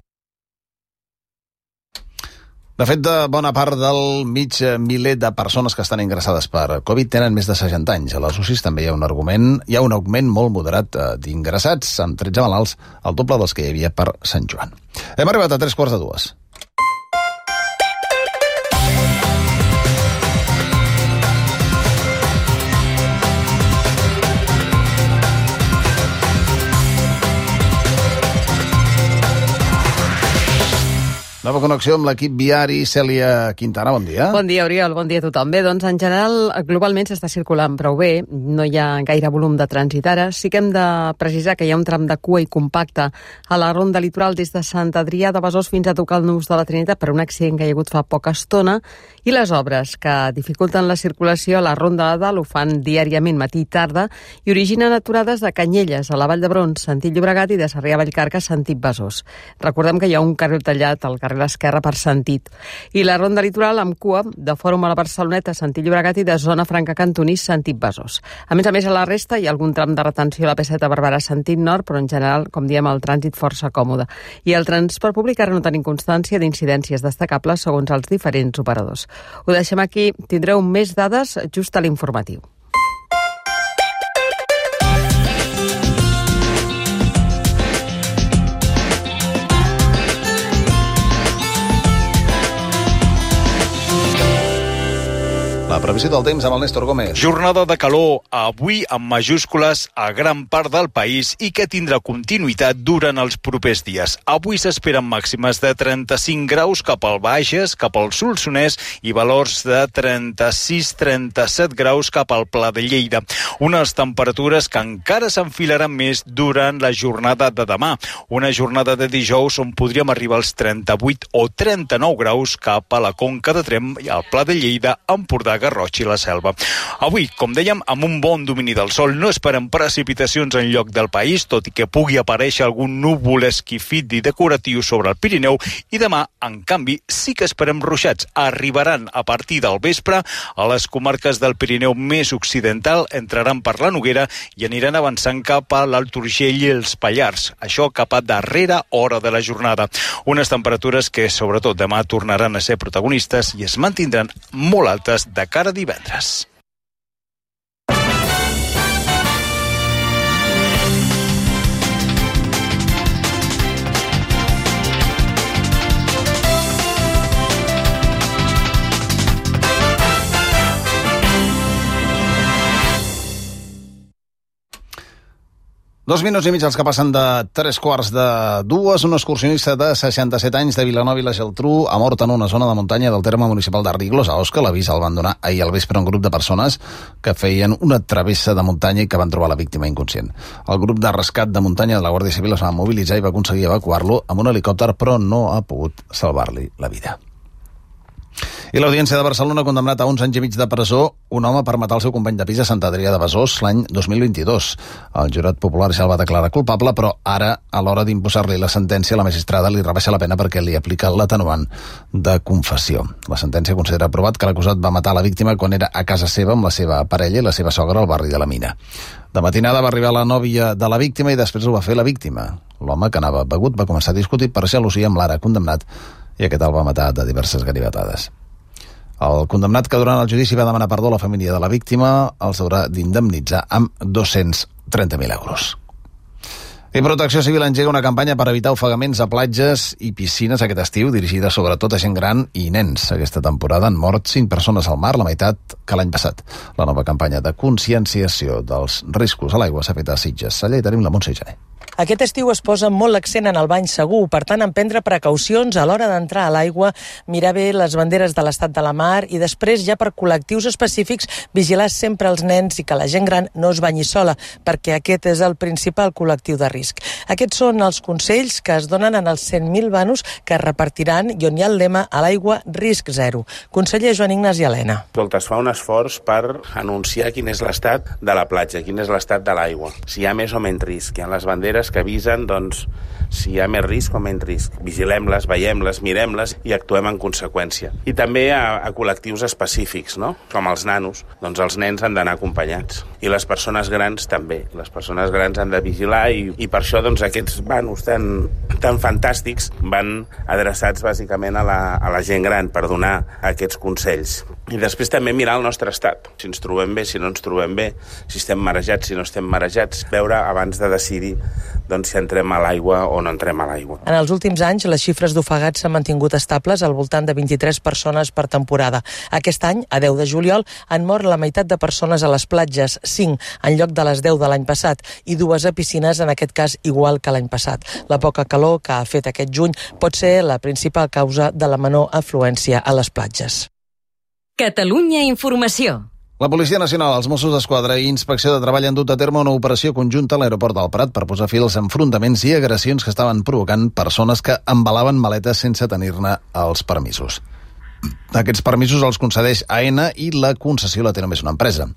De fet, de bona part del mig miler de persones que estan ingressades per Covid tenen més de seixanta anys. A les U C Is també hi ha un argument, hi ha un augment molt moderat d'ingressats, amb tretze malalts, el doble dels que hi havia per Sant Joan. Hem arribat a tres quarts de dues. Nova connexió amb l'equip viari. Cèlia Quintana, bon dia. Bon dia, Oriol, bon dia a tothom. Bé, doncs en general, globalment s'està circulant prou bé, no hi ha gaire volum de trànsit ara. Sí que hem de precisar que hi ha un tram de cua i compacte a la ronda litoral des de Sant Adrià de Besòs fins a tocar el Nus de la Trinitat per un accident que hi ha hagut fa poca estona, i les obres que dificulten la circulació a la ronda de Dalt ho fan diàriament matí i tarda i originen aturades de Canyelles a la Vall d'Hebron, sentit Llobregat, i de Sarrià a Vallcarca, sentit Besòs. Recordem que hi ha un carril tallat al carrer l'esquerra per sentit. I la ronda litoral amb cua de Fòrum a la Barceloneta, sentit Llobregat, i de Zona Franca Cantonís, sentit Besòs. A més a més, a la resta hi ha algun tram de retenció a la P set a Barberà, sentit nord, però en general, com diem, el trànsit força còmode. I el transport públic ara no tenim constància d'incidències destacables segons els diferents operadors. Ho deixem aquí, tindreu més dades just a l'informatiu. La previsió del temps amb el Néstor Gómez. Jornada de calor, avui amb majúscules a gran part del país i que tindrà continuïtat durant els propers dies. Avui s'esperen màximes de trenta-cinc graus cap al Bages, cap al Solsonès i valors de trenta-sis a trenta-set graus cap al Pla de Lleida. Unes temperatures que encara s'enfilaran més durant la jornada de demà. Una jornada de dijous on podríem arribar als trenta-vuit o trenta-nou graus cap a la Conca de Tremp i al Pla de Lleida, Empordà, Garrotxa i la Selva. Avui, com dèiem, amb un bon domini del sol, no esperem precipitacions en lloc del país, tot i que pugui aparèixer algun núvol esquifit i decoratiu sobre el Pirineu, i demà, en canvi, sí que esperem ruixats. Arribaran a partir del vespre a les comarques del Pirineu més occidental, entraran per la Noguera i aniran avançant cap a l'Alt Urgell i els Pallars. Això cap a darrera hora de la jornada. Unes temperatures que, sobretot, demà tornaran a ser protagonistes i es mantindran molt altes de cara a divendres. Dos minuts i mig els que passen de tres quarts de dues. Un excursionista de seixanta-set anys de Vilanova i la Geltrú ha mort en una zona de muntanya del terme municipal de Riglos, a Osca. L'avís el van donar ahir al vespre un grup de persones que feien una travessa de muntanya i que van trobar la víctima inconscient. El grup de rescat de muntanya de la Guàrdia Civil es va mobilitzar i va aconseguir evacuar-lo amb un helicòpter, però no ha pogut salvar-li la vida. I l'Audiència de Barcelona ha condemnat a uns anys i mig de presó un home per matar el seu company de pis a Sant Adrià de Besòs l'any dos mil vint-i-dos. El jurat popular ja el va declarar culpable, però ara, a l'hora d'imposar-li la sentència, la magistrada li rebaixa la pena perquè li aplica l'atenuant de confessió. La sentència considera aprovat que l'acusat va matar la víctima quan era a casa seva amb la seva parella i la seva sogra al barri de la Mina. De matinada va arribar la nòvia de la víctima i després ho va fer la víctima. L'home, que anava begut, va començar a discutir per gelosia amb l'ara condemnat i aquest el va matar de diverses ganivetades. El condemnat, que durant el judici va demanar perdó a la família de la víctima, els haurà d'indemnitzar amb dos-cents trenta mil euros. I Protecció Civil engega una campanya per evitar ofegaments a platges i piscines aquest estiu, dirigida sobretot a gent gran i nens. Aquesta temporada han mort cinc persones al mar, la meitat que l'any passat. La nova campanya de conscienciació dels riscos a l'aigua s'ha fet a Sitges. Allà hi tenim la Montse Jané. Aquest estiu es posa molt l'accent en el bany segur, per tant, en prendre precaucions a l'hora d'entrar a l'aigua, mirar bé les banderes de l'estat de la mar i després, ja per col·lectius específics, vigilar sempre els nens i que la gent gran no es banyi sola, perquè aquest és el principal col·lectiu de risc. Aquests són els consells que es donen en els cent mil vanos que es repartiran i on hi ha el lema a l'aigua risc zero. Conseller Joan Ignasi Helena. Es fa un esforç per anunciar quin és l'estat de la platja, quin és l'estat de l'aigua, si hi ha més o menys risc. Hi ha les banderes les que avisen, doncs, si hi ha més risc o menys risc. Vigilem-les, veiem-les, mirem-les i actuem en conseqüència. I també a, a col·lectius específics, no? Com els nanos. Doncs els nens han d'anar acompanyats. I les persones grans també. Les persones grans han de vigilar i, i per això doncs, aquests vanos tan, tan fantàstics van adreçats bàsicament a la, a la gent gran per donar aquests consells. I després també mirar el nostre estat. Si ens trobem bé, si no ens trobem bé, si estem marejats, si no estem marejats. Veure abans de decidir doncs, si entrem a l'aigua o no entrem a l'aigua. En els últims anys, les xifres d'ofegats s'han mantingut estables al voltant de vint-i-tres persones per temporada. Aquest any, a deu de juliol, han mort la meitat de persones a les platges, cinc en lloc de les deu de l'any passat, i dues a piscines, en aquest cas igual que l'any passat. La poca calor que ha fet aquest juny pot ser la principal causa de la menor afluència a les platges. Catalunya Informació. La Policia Nacional, els Mossos d'Esquadra i Inspecció de Treball han dut a terme una operació conjunta a l'aeroport del Prat per posar fi als enfrontaments i agressions que estaven provocant persones que embalaven maletes sense tenir-ne els permisos. Aquests permisos els concedeix A E N A i la concessió la té només una empresa.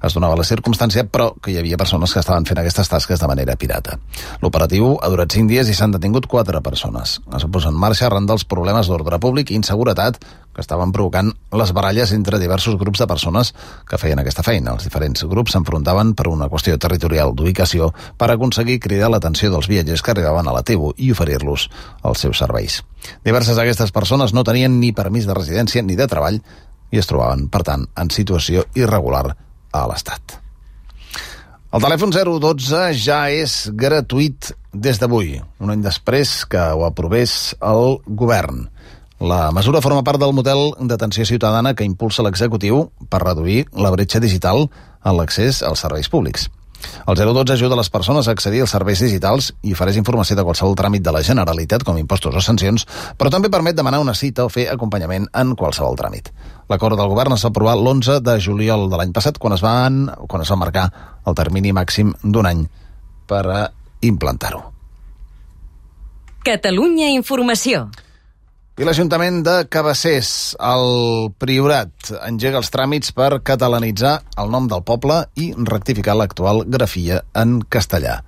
Es donava la circumstància, però, que hi havia persones que estaven fent aquestes tasques de manera pirata. L'operatiu ha durat cinc dies i s'han detingut quatre persones. Es va posar en marxa arran dels problemes d'ordre públic i inseguretat que estaven provocant les baralles entre diversos grups de persones que feien aquesta feina. Els diferents grups s'enfrontaven per una qüestió territorial d'ubicació per aconseguir cridar l'atenció dels viatgers que arribaven a la T E U i oferir-los els seus serveis. Diverses d'aquestes persones no tenien ni permís de residència ni de treball i es trobaven, per tant, en situació irregular a l'Estat. El telèfon zero dotze ja és gratuït des d'avui, un any després que ho aprovés el govern. La mesura forma part del model d'atenció ciutadana que impulsa l'executiu per reduir la bretxa digital en l'accés als serveis públics. El zero dotze ajuda les persones a accedir als serveis digitals i ofereix informació de qualsevol tràmit de la Generalitat, com impostos o sancions, però també permet demanar una cita o fer acompanyament en qualsevol tràmit. L'acord del govern es va aprovar l'onze de juliol de l'any passat, quan es, van, quan es va marcar el termini màxim d'un any per a implantar-ho. Catalunya Informació. I l'Ajuntament de Cabassers, el Priorat, engega els tràmits per catalanitzar el nom del poble i rectificar l'actual grafia en castellà.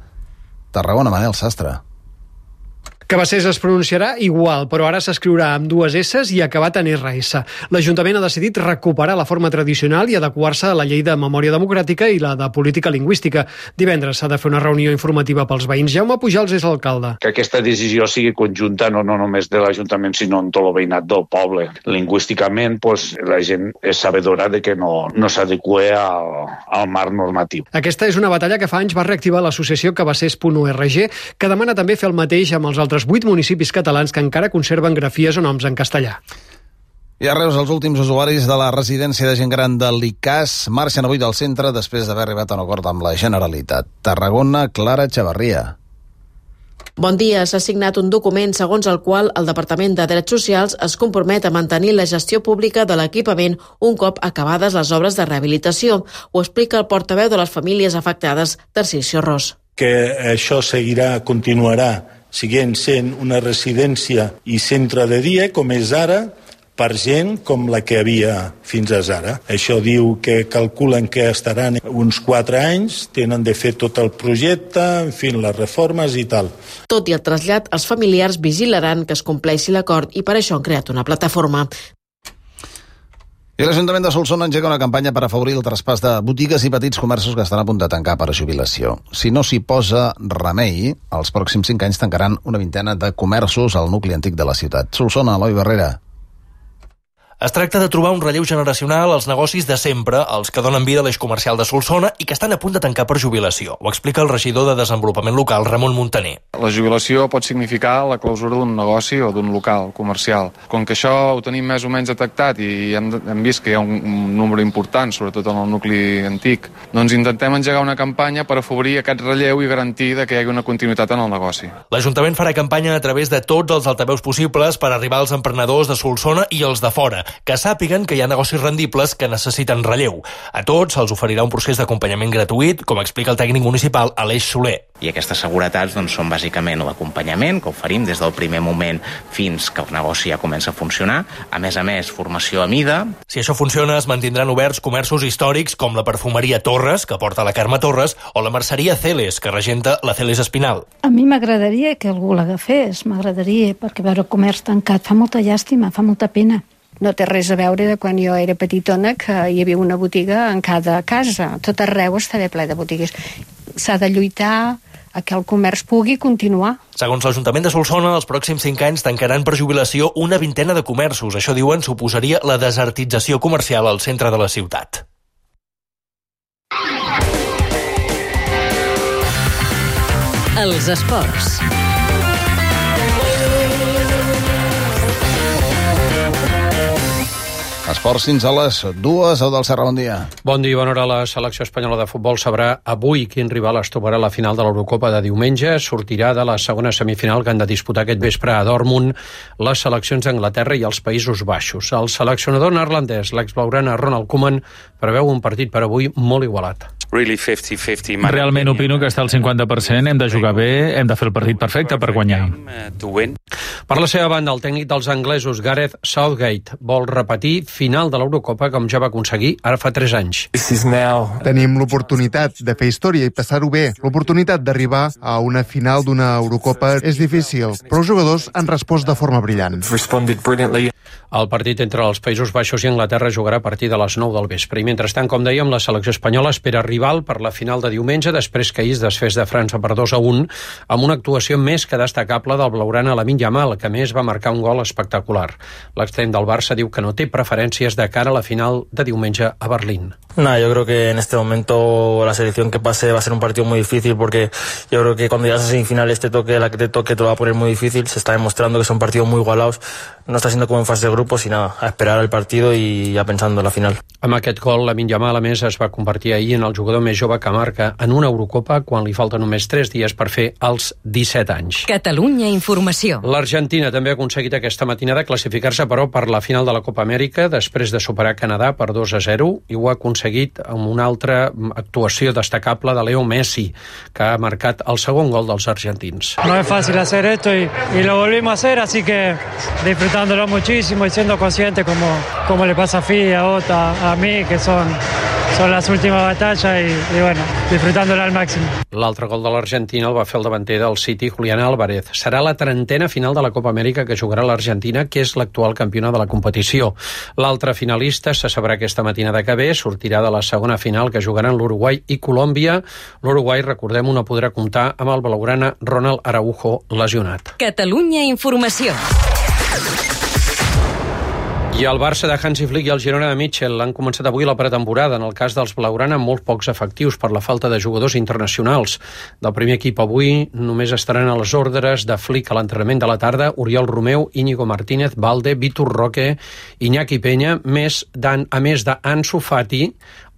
Tarragona, Manel Sastre. Cabassers es pronunciarà igual, però ara s'escriurà amb dues S i acabat en R S. L'Ajuntament ha decidit recuperar la forma tradicional i adequar-se a la llei de memòria democràtica i la de política lingüística. Divendres s'ha de fer una reunió informativa pels veïns. Jaume Pujals és l'alcalde. Que aquesta decisió sigui conjunta no, no només de l'Ajuntament, sinó en tot el veïnat del poble. Lingüísticament, pues, la gent és sabedora de que no, no s'adequa al, al marc normatiu. Aquesta és una batalla que fa anys va reactivar l'associació cabassers punt org, que demana també fer el mateix amb els altres vuit municipis catalans que encara conserven grafies o noms en castellà. I a Reus, els últims usuaris de la residència de gent gran de l'I C A S marxen avui del centre després d'haver arribat a un acord amb la Generalitat. Tarragona, Clara Chavarria. Bon dia. S'ha signat un document segons el qual el Departament de Drets Socials es compromet a mantenir la gestió pública de l'equipament un cop acabades les obres de rehabilitació. Ho explica el portaveu de les famílies afectades, Tarcisio Ros. Que això seguirà, continuarà siguent sent una residència i centre de dia, com és ara, per gent com la que havia fins ara. Això diu que calculen que estaran uns quatre anys, tenen de fer tot el projecte, en fi, les reformes i tal. Tot i el trasllat, els familiars vigilaran que es compleixi l'acord i per això han creat una plataforma. I l'Ajuntament de Solsona engega una campanya per afavorir el traspàs de botigues i petits comerços que estan a punt de tancar per a jubilació. Si no s'hi posa remei, els pròxims cinc anys tancaran una vintena de comerços al nucli antic de la ciutat. Solsona, Eloi Barrera. Es tracta de trobar un relleu generacional als negocis de sempre, els que donen vida a l'eix comercial de Solsona i que estan a punt de tancar per jubilació. Ho explica el regidor de Desenvolupament Local, Ramon Montaner. La jubilació pot significar la clausura d'un negoci o d'un local comercial. Com que això ho tenim més o menys detectat i hem, hem vist que hi ha un, un número important, sobretot en el nucli antic, doncs intentem engegar una campanya per afavorir aquest relleu i garantir que hi hagi una continuïtat en el negoci. L'Ajuntament farà campanya a través de tots els altaveus possibles per arribar als emprenedors de Solsona i els de fora. que sàpiguen que hi ha negocis rendibles que necessiten relleu. A tots se'ls oferirà un procés d'acompanyament gratuït, com explica el tècnic municipal Aleix Soler. I aquestes seguretats doncs, són bàsicament l'acompanyament que oferim des del primer moment fins que el negoci ja comença a funcionar. A més a més, formació a mida. Si això funciona, es mantindran oberts comerços històrics com la perfumeria Torres, que porta la Carme Torres, o la merceria Celes, que regenta la Celes Espinal. A mi m'agradaria que algú l'agafés, m'agradaria, perquè veure comerç tancat fa molta llàstima, fa molta pena. No té res a veure de quan jo era petitona, que hi havia una botiga en cada casa. Tot arreu estava ple de botigues. S'ha de lluitar a que el comerç pugui continuar. Segons l'Ajuntament de Solsona, els pròxims cinc anys tancaran per jubilació una vintena de comerços. Això, diuen, suposaria la desertització comercial al centre de la ciutat. Els esports. Esports fins a les dues. Eudald Serra, bon dia. Bon dia, bona hora. La selecció espanyola de futbol sabrà avui quin rival es trobarà a la final de l'Eurocopa de diumenge. Sortirà de la segona semifinal que han de disputar aquest vespre a Dortmund les seleccions d'Anglaterra i els Països Baixos. El seleccionador neerlandès, l'ex-blaugrana Ronald Koeman, preveu un partit per avui molt igualat. Realment opino que està al cinquanta per cent, hem de jugar bé, hem de fer el partit perfecte per guanyar. Per la seva banda, el tècnic dels anglesos, Gareth Southgate, vol repetir final de l'Eurocopa com ja va aconseguir ara fa tres anys. Tenim l'oportunitat de fer història i passar-ho bé. L'oportunitat d'arribar a una final d'una Eurocopa és difícil, però els jugadors han respost de forma brillant. El partit entre els Països Baixos i Anglaterra jugarà a partir de les nou del vespre. I mentrestant, com dèiem, la selecció espanyola espera rival per la final de diumenge després que ahir es desfés de França per dos a un amb una actuació més que destacable del blaugrana Lamine Yamal, que a més va marcar un gol espectacular. L'extrem del Barça diu que no té preferències de cara a la final de diumenge a Berlín. Nah, yo creo que en este momento la selección que pase va a ser un partido muy difícil porque yo creo que cuando llegas a semifinales te toque la que te toque te lo va a poner muy difícil. Se está demostrando que son partidos muy igualados. No está siendo como en fase de grupos y nada, a esperar el partido y ya pensando en la final. Amb aquest gol, Lamine Yamal, a més, es va convertir ahir en el jugador més jove que marca en una Eurocopa quan li falten només tres dies per fer els disset anys. Catalunya Informació. L'Argentina també ha aconseguit aquesta matinada classificar-se, però, per la final de la Copa Amèrica després de superar Canadà per dos a zero, i ho ha aconseguit amb una altra actuació destacable de Leo Messi, que ha marcat el segon gol dels argentins. No es fácil hacer esto y, y lo volvimos a hacer, así que disfrutándolo muchísimo y siendo consciente como, como le pasa a Fi, a Ota, a mí, que son, son las últimas batallas y, y bueno, disfrutándolo al máximo. L'altre gol de l'Argentina el va fer el davanter del City, Julián Álvarez. Serà la trentena final de la Copa Amèrica que jugarà l'Argentina, que és l'actual campiona de la competició. L'altre finalista se sabrà aquesta matinada que ve, sortirà de la segona final que jugaran l'Uruguai i Colòmbia. L'Uruguai, recordem, no podrà comptar amb el blaugrana Ronald Araujo lesionat. Catalunya Informació. I el Barça de Hansi Flick i el Girona de Mitchell han començat avui la pretemporada. En el cas dels blaugrana, amb molt pocs efectius per la falta de jugadors internacionals. Del primer equip avui només estaran a les ordres de Flick a l'entrenament de la tarda Oriol Romeu, Íñigo Martínez, Valde, Vitor Roque, Iñaki Peña, més a més d'Ansu Fati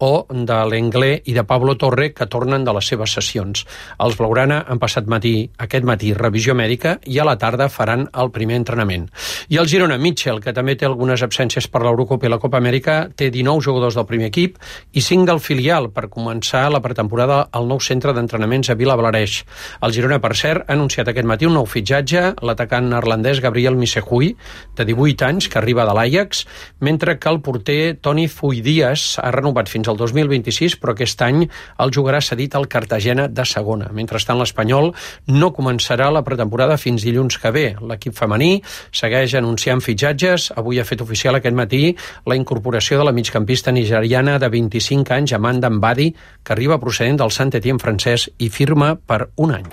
o de l'Englé i de Pablo Torre, que tornen de les seves sessions. Els blaugrana han passat matí, aquest matí revisió mèdica i a la tarda faran el primer entrenament. I el Girona Mitchell, que també té algunes absències per l'Eurocopa i la Copa Amèrica, té dinou jugadors del primer equip i cinc del filial per començar la pretemporada al nou centre d'entrenaments a Vilablareix. El Girona, per cert, ha anunciat aquest matí un nou fitxatge, l'atacant neerlandès Gabriel Missehui, de divuit anys, que arriba de l'Ajax, mentre que el porter Toni Fuidias ha renovat fins al dos mil vint-i-sis, però aquest any el jugarà cedit al Cartagena de segona. Mentrestant, l'Espanyol no començarà la pretemporada fins dilluns que ve. L'equip femení segueix anunciant fitxatges. Avui ha fet oficial aquest matí la incorporació de la migcampista nigeriana de vint-i-cinc anys, Amanda Mbadi, que arriba procedent del Saint-Étienne francès i firma per un any.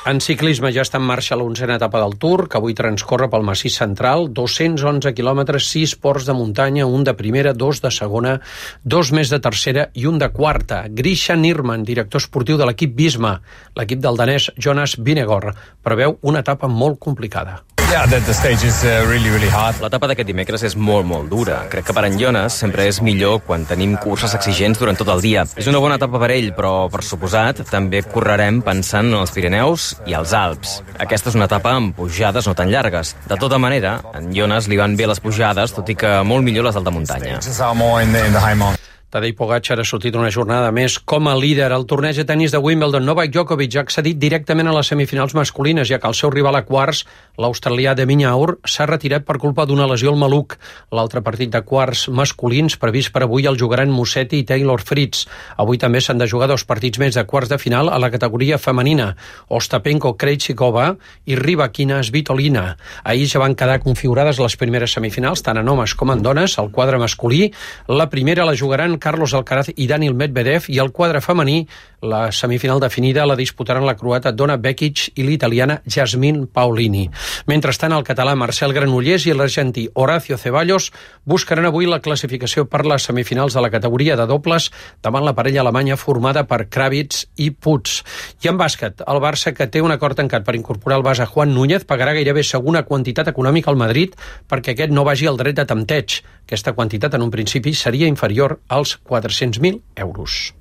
En ciclisme ja està en marxa l'onzena etapa del Tour, que avui transcorre pel massís central, dos-cents onze quilòmetres, sis ports de muntanya, un de primera, dos de segona, dos més de tercera i un de quarta. Grisha Nirman, director esportiu de l'equip Visma, l'equip del danès Jonas Vingegaard, preveu una etapa molt complicada. L'etapa d'aquest dimecres és molt, molt dura. Crec que per en Jonas sempre és millor quan tenim curses exigents durant tot el dia. És una bona etapa per ell, però, per suposat, també correrem pensant en els Pirineus i els Alps. Aquesta és una etapa amb pujades no tan llargues. De tota manera, a en Jonas li van bé les pujades, tot i que molt millor les d'alta muntanya. Tadej Pogačar ha sortit una jornada més com a líder al torneig de tennis de Wimbledon. Novak Djokovic ha accedit directament a les semifinals masculines, ja que el seu rival a quarts, l'australià de Minyaur, s'ha retirat per culpa d'una lesió al maluc. L'altre partit de quarts masculins previst per avui el jugaran Musetti i Taylor Fritz. Avui també s'han de jugar dos partits més de quarts de final a la categoria femenina. Ostapenko Krejcikova i Rybakina Svitolina. Ahir ja van quedar configurades les primeres semifinals, tant en homes com en dones. El quadre masculí, la primera la jugaran Carlos Alcaraz i Daniil Medvedev, i el quadre femení, la semifinal definida, la disputaran la croata Donna Vekic i l'italiana Jasmine Paolini. Mentrestant, el català Marcel Granollers i l'argentí Horacio Ceballos buscaran avui la classificació per les semifinals de la categoria de dobles davant la parella alemanya formada per Kravitz i Puig. I en bàsquet, el Barça, que té un acord tancat per incorporar al base Juan Núñez, pagarà gairebé segona quantitat econòmica al Madrid perquè aquest no vagi al dret de tempteig. Aquesta quantitat en un principi seria inferior als quatre-cents mil euros.